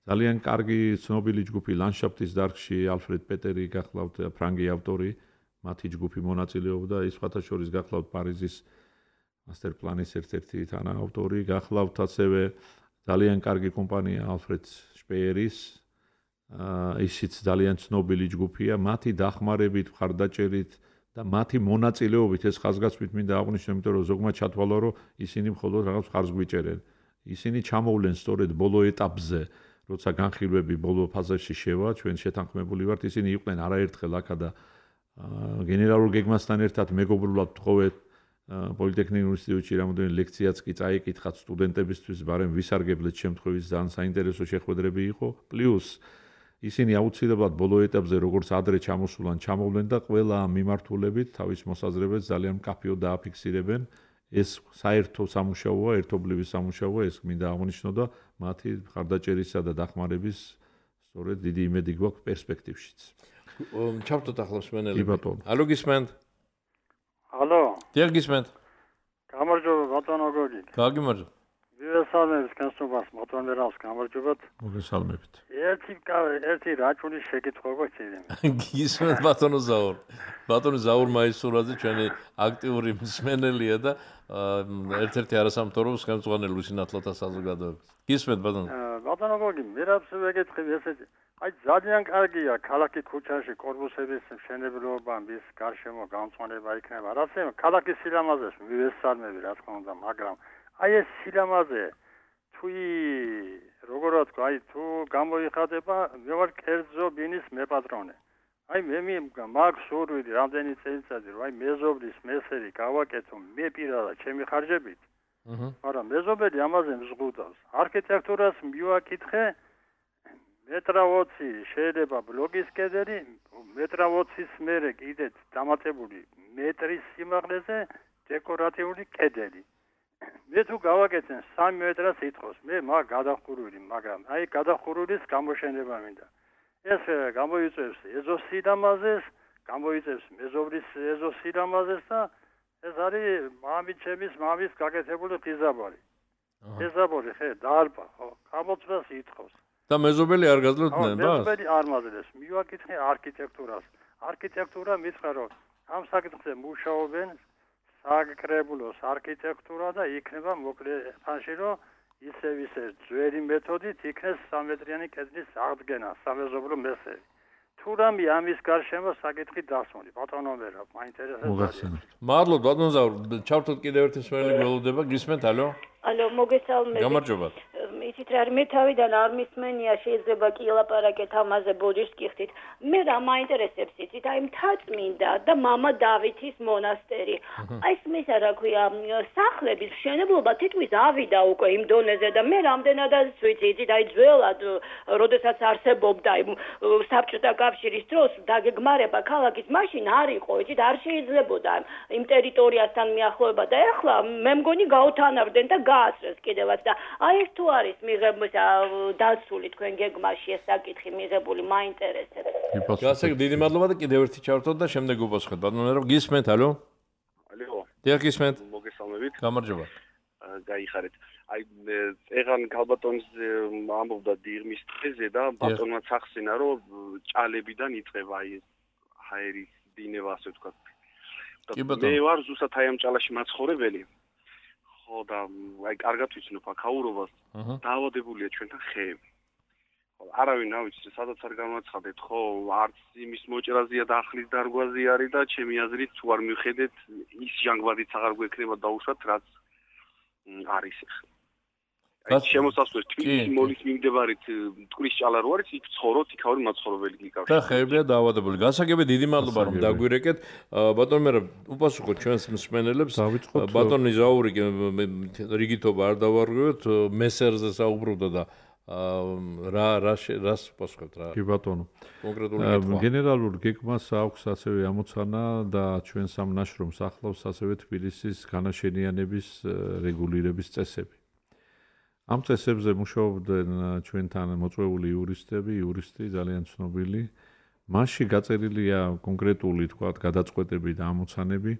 ძალიან კარგი ცნობილი ჯგუფი ლანდშაფტის დარგში ალფრედ პეტერი გახლავთ ფრანგი ავტორი მათი ჯგუფი მონაწილეობდა ის სხვათა შორის გახლავთ პარიზის მასტერ პლანის ერთ-ერთი თანაავტორი გახლავთ ასევე ძალიან კარგი კომპანია ალფრედ შპეერის ისიც ძალიან ცნობილი ჯგუფია მათი დახმარებით მხარდაჭერით და მათი მონაწილეობით ეს ხაზგასმით მინდა აღვნიშნო იმიტომ რომ ზოგმა ჩათვალა რომ ისინი მხოლოდ რაღაც ხარს გვიჭერენ ისინი ჩამოვლენ სწორედ ბოლო ეტაპზე როცა განხილვები ბოლო ფაზაში შევა ჩვენ შეთანხმებული ვართ ისინი იყვნენ არაერთხელ აქა და გენერალურ გეგმასთან ერთად მეგობრულად თხოვეთ პოლიტექნიკურ ინსტიტუტში რამოდენიმე ლექციაც კი წაიკითხათ სტუდენტებისთვის ბარემ ვისარგებლეთ შემთხვევის ძალიან საინტერესო შეხვედრები იყო პლუს ისინი აუცილებლად ბოლო ეტაპზე როგორც ადრე ჩამოსულან ჩამოვლენ და ყველა მიმართულებით თავის მოსაზრებებს ძალიან მკაფიოდ დააფიქსირებენ ეს საერთო სამუშაოა ერთობლივი სამუშაოა ეს მინდა აღვნიშნო და მათი მხარდაჭერისა და დახმარების სწორედ დიდი იმედი გვაქვს პერსპექტივშიც ჩავთოთ ახლა მსმენელები ალო გისმენთ ალო დიახ გისმენთ გამარჯობა ბატონო გოგი გაგიმარჯობა მოგესალმებით განსხვავებას მოწონერავს გამარჯობათ. მოგესალმებით. ერთი ერთი რაჭუნის შეკითხვა გვექცია. გისმენთ ბატონო ზაურ. ბატონო ზაურ მაისურაძე ჩვენი აქტიური მსმენელია და ერთ-ერთი არასამთავრობო ხელმძღვანელი ლუსინათლოთა საზოგადოების. გისმენთ ბატონო. ბატონო გოგი, მე რაც ვეკითხი ესეთი აი ძალიან კარგია ქალაქის ქუჩაში კორპუსების მშენებლობა, მის გარშემო გამწვანება იქნება. რაც ქალაქის სილამაზეს მივესალმები რა თქმა უნდა, მაგრამ აი ეს სილამაზე თუ როგორ ვთქვა, აი თუ გამოიხადება, მე ვარ კერძო ბინის მეპატრონე. აი მე მაქვს სურვილი რამდენი წელიწადი რომ აი მეზობლის მესერი გავაკეთო მე პირადად ჩემი ხარჯებით. აჰა. მაგრამ მეზობელი ამაზე მზღუდავს. არქიტექტურას მივაკითხე მეტრ ოცი შეიძლება ბლოგის კედელი, მეტრ ოცის მერე კიდე დამატებული მეტრის სიმაღლეზე დეკორატიული კედელი. მე თუ გავაკეთენ სამი მეტრას ითხოვს, მე მაგ გადახურული, მაგრამ აი გადახურულის გამოშენება მინდა. ეს გამოიწვევს ეზოსილამაზეს, გამოიწვევს მეზობლის ეზოსილამაზეს და ეს არის მამიჩემის მამის გაკეთებული ღიზაბარი. ღიზაბარი ხე დარბა, ხო, გამოცდას ითხოვს. და მეზობელი არ გაძლევდნენ ბას? მეზობელი არ მაძლევს. მივაკითხე არქიტექტურას. არქიტექტურა მითხრა რომ ამ საკითხზე მუშაობენ საკრებულოს არქიტექტურა და იქნება მოკლე ხანში რომ ისევ ისე ძველი მეთოდით იქნეს სამეტრიანი კედლის აღდგენა, სამეზობლო მესერი. თუ რამე ამის გარშემო საკითხი დასმული. ბატონო მერა, მაინტერესებს. მადლობთ ბატონო ზაურ, ჩავთოთ კიდევ ერთი მსმენელი გველოდება, გისმენთ, ალო? ალო, მოგესალმებით. გამარჯობათ. იცით რა, მე თავიდან არ მისმენია, შეიძლება კი ელაპარაკეთ ამაზე ბოდიშს გიხდით. მე რა მაინტერესებს იცით, აი მთაწმინდა და მამა დავითის მონასტერი. აი ეს რა ქვია, სახლების მშენებლობა თითქმის ავიდა უკვე იმ დონეზე და მე რამდენადაც ვიცი, იცით, აი ძველად, როდესაც არსებობდა იმ საბჭოთა კავშირის დროს დაგეგმარება ქალაქის მაშინ არ იყო, იცით, არ შეიძლებოდა იმ ტერიტორიასთან მიახლოება და ეხლა მე მგონი გაუთანავდნენ და გაასწრეს კიდევაც და აი ეს თუ არის მიღებული დაცული თქვენ გეგმაში ეს საკითხი მიღებული მაინტერესებს. გასაგ დიდი მადლობა და კიდევ ერთი ჩავთოთ და შემდეგ უპასუხეთ. ბატონო, გისმენთ, ალო? ალო. დიახ, გისმენთ. მოგესალმებით. გამარჯობა. გაიხარეთ. აი წეღან ქალბატონის ამბობდა დიღმის დღეზე და ბატონმა ახსენა რომ ჭალებიდან იწყება აი ჰაერის დინება ასე ვთქვათ. მე ვარ ზუსტად აი ამ ჭალაში მაცხოვრებელი. ხო და აი კარგად ვიცნობ აქაურობას. დაავადებულია ჩვენთან ხეები. ხო არავინ არ ვიცი სადაც არ განაცხადეთ ხო არც იმის მოჭრაზეა და ახლის დარგვაზე არის და ჩემი აზრით თუ არ მივხედეთ ის ჟანგბადიც აღარ გვექნება დაუშვათ რაც არის ახლა. აი შემოსასვლელი თბილისის მოლის მიმდებარით მტკვრის ჭალა რო არის იქ ცხოვრობთ იქაური მაცხოვრებელი გიკავშ. და ხეებია დაავადებული. გასაგები დიდი მადლობა რომ დაგვირეკეთ. ბატონო მე უპასუხოთ ჩვენს მსმენელებს. ბატონი ზაური რიგითობა არ დავარღვევთ, მესერზე საუბრობდა და რა რა რას უპასუხებთ რა. კი ბატონო. კონკრეტული კითხვა. გენერალურ გეგმას აქვს ასევე ამოცანა და ჩვენ სამ ნაშრომს ახლავს ასევე თბილისის განაშენიანების რეგულირების წესები. ამ წესებზე მუშაობდნენ ჩვენთან მოწვეული იურისტები, იურისტი ძალიან ცნობილი. მასში გაწერილია კონკრეტული, თქვათ, გადაწყვეტები და ამოცანები,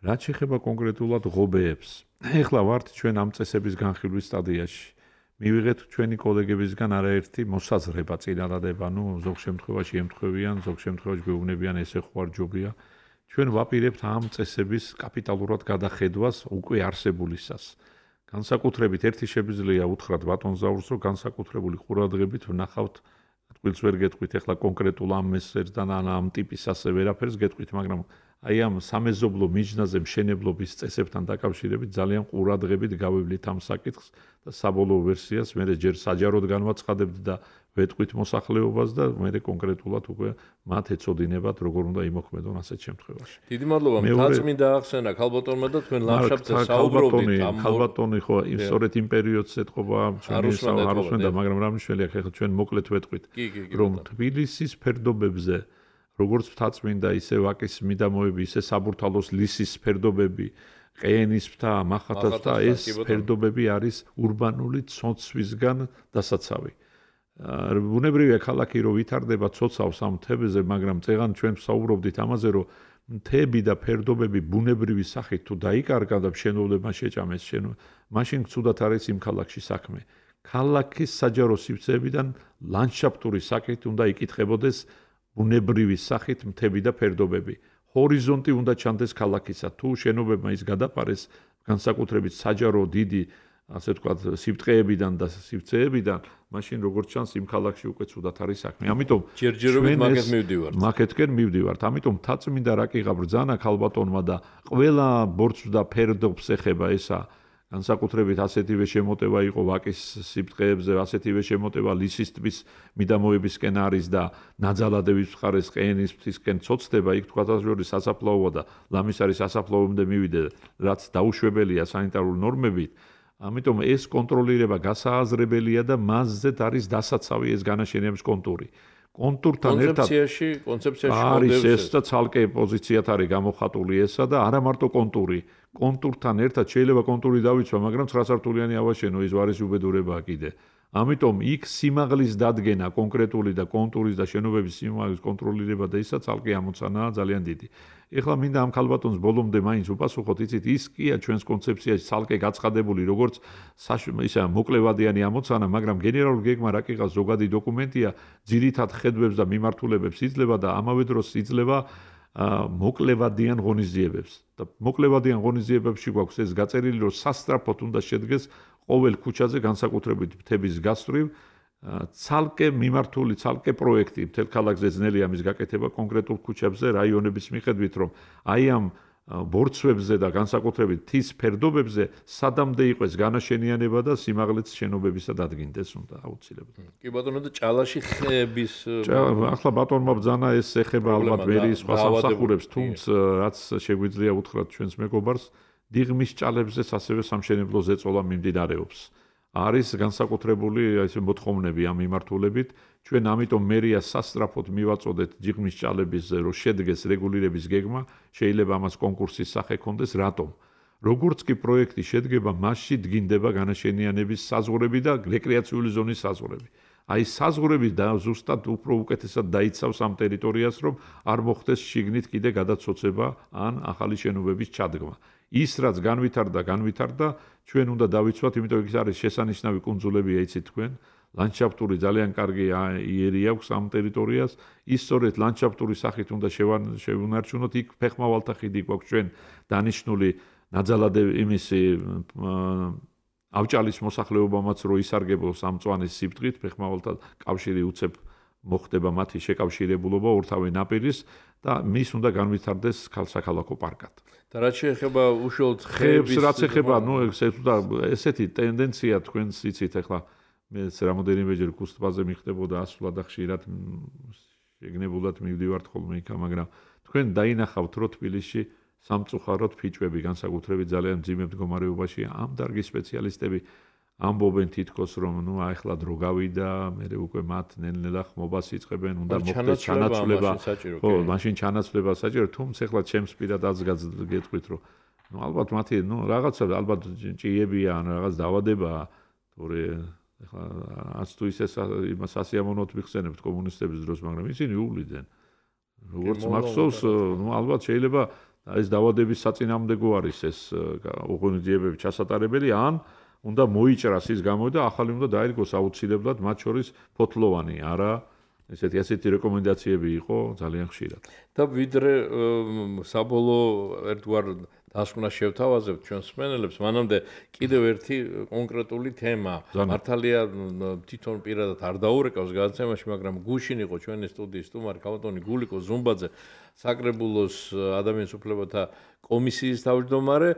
რაც შეეხება კონკრეტულად ღობეებს. ეხლა ვართ ჩვენ ამ წესების განხილვის სტადიაში. მივიღეთ ჩვენი კოლეგებისგან არაერთი მოსაზრება წინადადება, ნუ ზოგ შემთხვევაში ემთხვევიან, ზოგ შემთხვევაში გვეუბნებიან ესე ხო არ ჯობია. ჩვენ ვაპირებთ ამ წესების კაპიტალურად გადახედვას უკვე არსებულისას. განსაკუთრებით ერთი შეგვიძლია უთხრათ ბატონ ზაურს, რომ განსაკუთრებული ყურადღებით ვნახავთ, თქვილს ვერ გეტყვით ახლა კონკრეტულ ამ მესერს და ამ ტიპის ასე ვერაფერს გეტყვით, მაგრამ აი ამ სამეზობლო მიჯნაზე მშენებლობის წესებთან დაკავშირებით ძალიან ყურადღებით გავივლით ამ საკითხს და საბოლოო ვერსიას მე ჯერ საჯაროდ განვაცხადებთ და ვეტყვით მოსახლეობას და მე კონკრეტულად უკვე მათ ეწოდინებათ როგორ უნდა იმოქმედონ ასეთ შემთხვევაში. დიდი მადლობა მთაწმინდა ახსენა ქალბატონმა და თქვენ ლანდშაფტზე საუბრობთ ამ ქალბატონი ხო სწორედ იმ პერიოდს ეთყობა ჩვენი საარუსმენდა, მაგრამ რა მნიშვნელია ახლა ჩვენ მოკლედ ვეტყვით რომ თბილისის ფერდობებზე როგორც მთაწმინდა ისე ვაკის მიდამოები, ისე საბურთალოს ლისის ფერდობები, ყეენის მთა, მახათას მთა, ეს ფერდობები არის ურბანული ცოცვისგან დასაცავი. ბუნებრივია ქალაქი რომ ვითარდება ცოცავს ამ მთებზე, მაგრამ წეღან ჩვენ ვსაუბრობდით ამაზე, რომ მთები და ფერდობები ბუნებრივი სახით თუ დაიკარგა და მშენებლობა შეჭამეს შენ მაშინ ცუდად არის იმ ქალაქში საქმე ქალაქის საჯარო სივრცეებიდან ლანდშაფტური სახით უნდა იკითხებოდეს ბუნებრივი სახით მთები და ფერდობები ჰორიზონტი უნდა ჩანდეს ქალაქისა თუ შენობებმა ის გადაფარეს განსაკუთრებით საჯარო დიდი ასე ვთქვათ სიბრტყეებიდან და სივრცეებიდან მაშინ როგორც ჩანს იმ ქალაქში უკვე ცუდად არის საქმე ამიტომ ჯერჯერობით მაგეთ მივდივართ მაგეთკენ მივდივართ ამიტომ თაწმინდა რაკიღა ბრძანა ქალბატონმა და ყველა ბორცვს და ფერდობს ეხება ესა განსაკუთრებით ასეთივე შემოტევა იყო ვაკის სიბრტყეებზე ასეთივე შემოტევა ლისის ტბის მიდამოებისკენ არის და ნაძალადების მხარეს ყენის მთისკენ ცოცდება იქ თქვათაშორი სასაფლაოა და ლამისარის სასაფლაოამდე მივიდე რაც დაუშვებელია სანიტარული ნორმებით ამიტომ ეს კონტროლირება გასააზრებელია და მასზეც არის დასაცავი ეს განაშენების კონტური. კონტურთან ერთად კონცეფციაში, კონცეფციაში არის ეს და ცალკე პოზიციათ არის გამოხატული ესა და არა მარტო კონტური. კონტურთან ერთად შეიძლება კონტური დავიცვა, მაგრამ ცხრა სართულიანი ავაშენო ის ვარის უბედურებაა კიდე. ამიტომ იქ სიმაღლის დადგენა კონკრეტული და კონტურის და შენობების სიმაღლის კონტროლირება და ისა ცალკე ამოცანაა ძალიან დიდი. ეხლა მინდა ამ ქალბატონს ბოლომდე მაინც უპასუხოთ, იცით, ის კია ჩვენს კონცეფციაში ცალკე გაცხადებული, როგორც ისა მოკლევადიანი ამოცანა, მაგრამ გენერალური გეგმა რაკიღა ზოგადი დოკუმენტია, ძირითად ხედვებს და მიმართულებებს იძლევა და ამავე დროს იძლევა მოკლევადიან ღონისძიებებს. და მოკლევადიან ღონისძიებებში გვაქვს ეს გაწერილი, რომ სასწრაფოდ უნდა შედგეს ყოველ ქუჩაზე განსაკუთრებით მთების გასწვრივ ცალკე მიმართული ცალკე პროექტი მთელ ქალაქზე ძნელი ამის გაკეთება კონკრეტულ ქუჩებზე რაიონების მიხედვით რომ აი ამ ბორცვებზე და განსაკუთრებით მთის ფერდობებზე სადამდე იყოს განაშენიანება და სიმაღლეც შენობებისა დადგინდეს უნდა აუცილებლად. კი ბატონო და ჭალაში ხეების ახლა ბატონმა ბრძანა ეს ეხება ალბათ მერიის სხვა სამსახურებს თუმცა რაც შეგვიძლია უთხრათ ჩვენს მეგობარს დიღმის ჭალებზეც ასევე სამშენებლო ზეწოლა მიმდინარეობს. არის განსაკუთრებული ესე მოთხოვნები ამ მიმართულებით ჩვენ ამიტომ მერია სასწრაფოდ მივაწოდეთ დიღმის ჭალებისზე რომ შედგეს რეგულირების გეგმა შეიძლება ამას კონკურსის სახე ქონდეს რატომ როგორც კი პროექტი შედგება მასში დგინდება განაშენიანების საზღვრები და რეკრეაციული ზონის საზღვრები აი საზღვრები და ზუსტად უფრო უკეთესად დაიცავს ამ ტერიტორიას რომ არ მოხდეს შიგნით კიდე გადაცოცება ან ახალი შენობების ჩადგმა ის რაც განვითარდა განვითარდა ჩვენ უნდა დავიცვათ იმიტომ ის არის შესანიშნავი კუნძულებია იცით თქვენ ლანდშაფტური ძალიან კარგი იერი აქვს ამ ტერიტორიას ის სწორედ ლანდშაფტური სახით უნდა შევუნარჩუნოთ იქ ფეხმავალთა ხიდი გვაქვს ჩვენ დანიშნული ნაძალადე იმისი ავჭალის მოსახლეობამაც რო ისარგებლოს ამ წვანის სიბრტყით ფეხმავალთა კავშირი უცებ მოხდება მათი შეკავშირებულობა ორთავე ნაპირის და მის უნდა განვითარდეს ქალსაქალაქო პარკად. და რაც შეეხება უშუალოდ ხეებს რაც ეხება, ნუ ესეთი ტენდენცია თქვენს იცით ახლა მე რამოდენიმეჯერ კუსტბაზე მიხდებოდა ასვლა და ხშირად შეგნებულად მივდივართ ხოლმე იქ, მაგრამ თქვენ დაინახავთ რო თბილისში სამწუხაროდ ფიჭვები განსაკუთრებით ძალიან მძიმე მდგომარეობაში ამ დარგის სპეციალისტები ამბობენ თითქოს რომ ნუ ახლა დრო გავიდა, მე უკვე მათ ნელ-ნელა ხმობას იწყებენ, უნდა მოხდეს ჩანაცვლება. ხო, მაშინ ჩანაცვლება საჭირო, თუმცა ახლა ჩემს პირად აზრს გეტყვით რომ ნუ ალბათ მათი ნუ რაღაცა ალბათ ჭიებია ან რაღაც დაავადებაა, თორე ახლა ას თუ ისე იმას ასიამოვნოთ მიხსენებთ კომუნისტების დროს, მაგრამ ისინი უვლიდნენ. როგორც მახსოვს, ნუ ალბათ შეიძლება ეს დაავადების საწინააღმდეგო არის ეს ღონისძიებები ჩასატარებელი ან უნდა მოიჭრას ის გამო და ახალი უნდა დაირგოს აუცილებლად მათ შორის ფოთლოვანი არა ესეთი ასეთი რეკომენდაციები იყო ძალიან ხშირად და ვიდრე საბოლოო ერთგვარ დასკვნას შევთავაზებთ ჩვენს მსმენელებს მანამდე კიდევ ერთი კონკრეტული თემა მართალია თვითონ პირადად არ დაურეკავს გადაცემაში მაგრამ გუშინ იყო ჩვენი სტუდიის სტუმარი ქალბატონი გულიკო ზუმბაძე საკრებულოს ადამიანის უფლებათა კომისიის თავმჯდომარე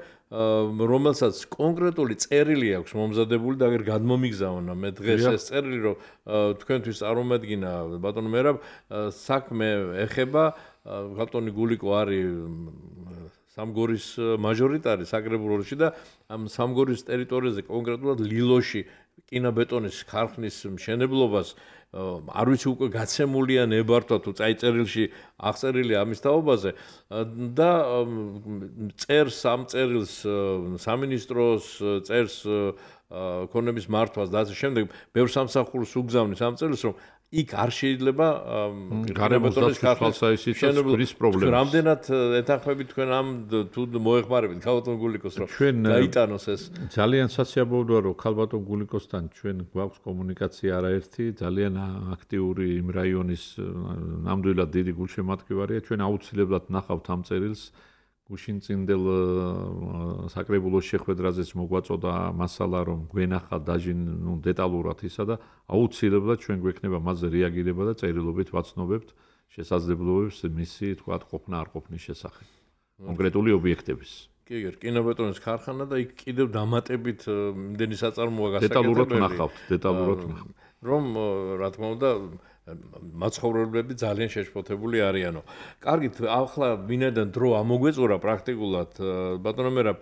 რომელსაც კონკრეტული წერილი აქვს მომზადებული და აგერ გადმომიგზავნა მე დღეს ეს წერილი რომ თქვენთვის წარმომადგინა ბატონო მერაბ საქმე ეხება ქალბატონი გულიკო არის სამგორის მაჟორიტარი საკრებულოში და ამ სამგორის ტერიტორიაზე კონკრეტულად ლილოში კინობეტონის ქარხნის მშენებლობას არ ვიცი უკვე გაცემულია ნებართვა თუ წაიწერილში აღწერილი ამის თაობაზე და წერს ამ წერილს სამინისტროს წერს ქონების მართვას და ასე შემდეგ ბევრ სამსახურს უგზავნის ამ წერილს რომ იქ არ შეიძლება გარემოსდაცვის თვალსაჩინოს პრობლემას. რამდენად ეთანხმებით თქვენ ამ თუ მოეხმარებით ქალბატონ გულიკოს რომ გაიტანოს ეს? ძალიან სასიამოვნოა რომ ქალბატონ გულიკოსთან ჩვენ გვაქვს კომუნიკაცია არაერთი, ძალიან აქტიური იმ რაიონის ნამდვილად დიდი გულშემატკივარია. ჩვენ აუცილებლად ნახავთ ამ წერილს. გუშინწინდელ საკრებულოს შეხვედრაზეც მოგვაწოდა მასალა რომ გვენახა დაჟინ ნუ დეტალურად ისა და აუცილებლად ჩვენ გვექნება მასზე რეაგირება და წერილობით ვაცნობებთ შესაძლებლობებს მისი თქვათ ყოფნა არ ყოფნის შესახებ კონკრეტული ობიექტების. კი, კინობეტონის ქარხანა და იქ კიდევ დამატებით იმდენი საწარმოა გასაკეთებელი. დეტალურად ვნახავთ, დეტალურად ვნახავთ. რომ რა თქმა უნდა მაცხოვრებლები ძალიან შეშფოთებული არიანო. კარგით, ახლა ვინაიდან დრო ამოგვეწურა პრაქტიკულად, ბატონო მერაბ,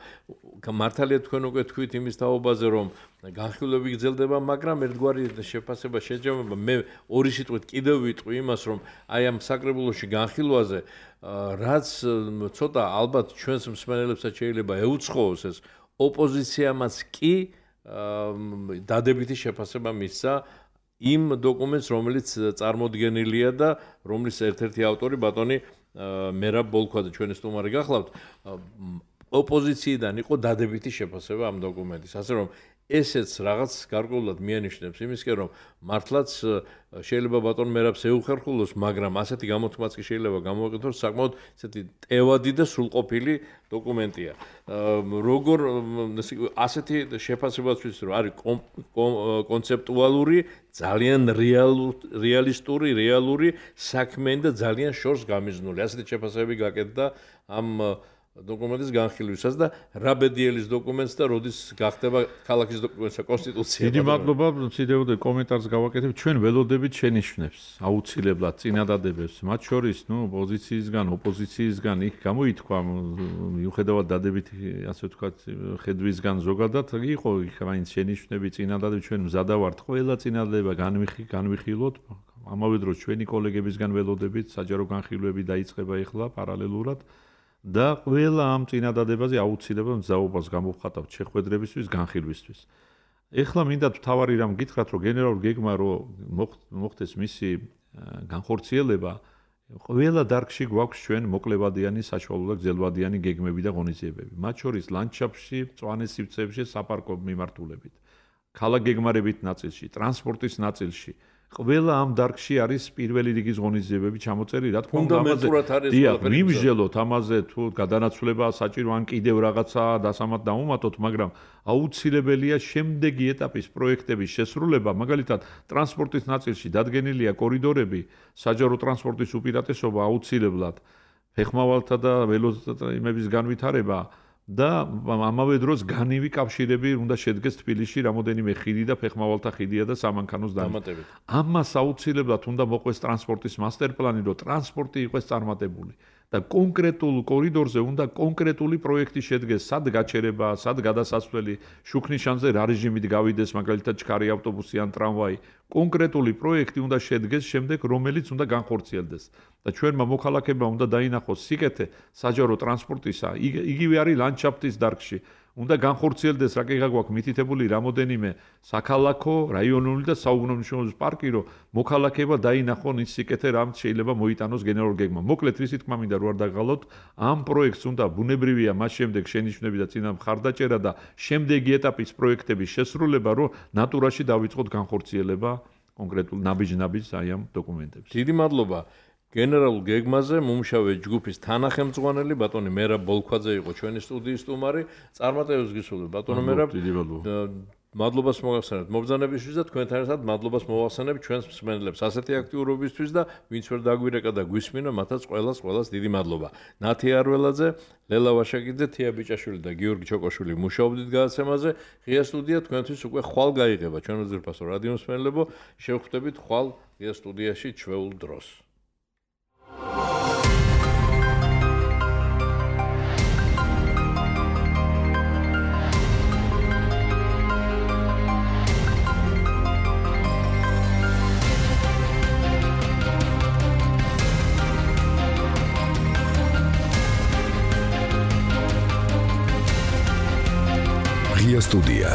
მართალია თქვენ უკვე თქვით იმის თაობაზე, რომ განხილვები გრძელდება, მაგრამ ერთგვარი შეფასება შეჯამება. მე ორი სიტყვით კიდევ ვიტყვი იმას, რომ აი ამ საკრებულოში განხილვაზე, რაც ცოტა ალბათ ჩვენს მსმენელებსაც შეიძლება ეუცხოოს ეს, ოპოზიციამაც კი დადებითი შეფასება მისცა იმ დოკუმენტს, რომელიც წარმოდგენილია და რომლის ერთ-ერთი ავტორი ბატონი მერაბ ბოლქვაძე ჩვენი სტუმარი გახლავთ, ოპოზიციიდან იყო დადებითი შეფასება ამ დოკუმენტის. ასე რომ ესეც რაღაც გარკვეულად მიანიშნებს იმისკენ, რომ მართლაც შეიძლება ბატონ მერაბს ეუხერხულოს, მაგრამ ასეთი გამოთქმაც კი შეიძლება გამოვაკეთოს, საკმაოდ ესეთი ტევადი და სრულყოფილი დოკუმენტია. როგორ ასეთი შეფასებაც რომ არის კონცეპტუალური, ძალიან რეალისტური, რეალური საქმიანი და ძალიან შორს გამიზნული. ასეთი შეფასებები გაკეთდა ამ დოკუმენტის განხილვისას და რაბედიელის დოკუმენტს და როდის გახდება ქალაქის დოკუმენტსა კონსტიტუცია. დიდი მადლობა, ციდეოდე კომენტარს გავაკეთებ. ჩვენ ველოდებით შენიშვნებს, აუცილებლად წინადადებებს, მათ შორის, ნუ, პოზიციისგან, ოპოზიციისგან იქ გამოითქვა, მიუხედავად დადებითი, ასე ვთქვათ, ხედვისგან ზოგადად, იყო იქ მაინც შენიშვნები, წინადადები, ჩვენ მზადა ვართ ყველა წინადადება განვიხილოთ. ამავე დროს ჩვენი კოლეგებისგან ველოდებით, საჯარო განხილვები დაიწყება ეხლა პარალელურად. და ყველა ამ წინადადებაზე აუცილებლად მზაობას გამოვხატავთ შეხვედრებისთვის, განხილვისთვის. ეხლა მინდა თავარი რამ გითხრათ, რომ გენერალურ გეგმა რომ მოხდეს მისი განხორციელება, ყველა დარგში გვაქვს ჩვენ მოკლებადიანი, საშუალო და გრძელვადიანი გეგმები და ღონისძიებები. მათ შორის ლანდშაფტში, მწვანე სივრცეებში, საპარკო მიმართულებით, ქალაქ გეგმარებით ნაწილში, ტრანსპორტის ნაწილში. ყველა ამ დარგში არის პირველი რიგის ღონისძიებები ჩამოწერილი, რა თქმა უნდა, ამაზე დიახ, მიმსჯელოთ ამაზე თუ გადანაცვლება საჭირო ან კიდევ რაღაცა დასამად დაუმატოთ, მაგრამ აუცილებელია შემდეგი ეტაპის პროექტების შესრულება, მაგალითად, ტრანსპორტის ნაწილში დადგენილია კორიდორები, საჯარო ტრანსპორტის უპირატესობა აუცილებლად, ფეხმავალთა და ველოსიპედების განვითარება და ამავე დროს განივი კავშირები უნდა შედგეს თბილისში რამოდენიმე ხიდი და ფეხმავალთა ხიდია და სამანქანოს დამატებით. ამას აუცილებლად უნდა მოყვეს ტრანსპორტის მასტერპლანი, რომ ტრანსპორტი იყოს წარმატებული და კონკრეტულ კორიდორზე უნდა კონკრეტული პროექტი შედგეს, სად გაჩერება, სად გადასასვლელი, შუქნიშანზე რა რეჟიმით გავიდეს, მაგალითად ჩქარი ავტობუსი ან ტრამვაი. კონკრეტული პროექტი უნდა შედგეს შემდეგ, რომელიც უნდა განხორციელდეს. და ჩვენმა მოქალაქეებმა უნდა დაინახოს სიკეთე საჯარო ტრანსპორტისა, იგივე არის ლანდშაფტის დარგში. უნდა განხორციელდეს რაკეღა გვაქვს მითითებული რამოდენიმე საქალაქო, რაიონული და საუკუნოვანი პარკი, რომ მოქალაქეება დაინახონ ის სიკეთე, რამ შეიძლება მოიტანოს გენერალურ გეგმა. მოკლედ, ვისი თქმა მინდა რო არ დაგღალოთ, ამ პროექტს უნდა ბუნებრივია მას შემდეგ შენიშვნები და წინა მხარდაჭერა და შემდეგი ეტაპის პროექტების შესრულება, რომ ნატურაში დავიწყოთ განხორციელება კონკრეტულ ნაბიჯ-ნაბიჯს აი ამ დოკუმენტებს. დიდი მადლობა. გენერალურ გეგმაზე მომუშავე ჯგუფის თანახმწვანელი ბატონი მერაბ ბოლქვაძე იყო ჩვენი სტუდიის სტუმარი. წარმატებებს გისურვებთ ბატონო მერაბ. მადლობას მოგახსენებთ მობრძანებისთვის და თქვენთან ერთად მადლობას მოვახსენებ ჩვენს მსმენელებს ასეთი აქტიურობისთვის და ვინც ვერ დაგვირეკა და გვისმინა, მათაც ყველას ყველას დიდი მადლობა. ნათი არველაძე, ლელა ვაშაკიძე, თია ბიჭაშვილი და გიორგი ჩოკოშვილი მუშაობდით გადაცემაზე. ღია სტუდია თქვენთვის უკვე ხვალ გაიღება. ჩვენ უძირფასო რადიო მსმენელებო, შევხვდებით ხვალ ღია სტუდიაში ჩვეულ დროს. Ღია სტუდია.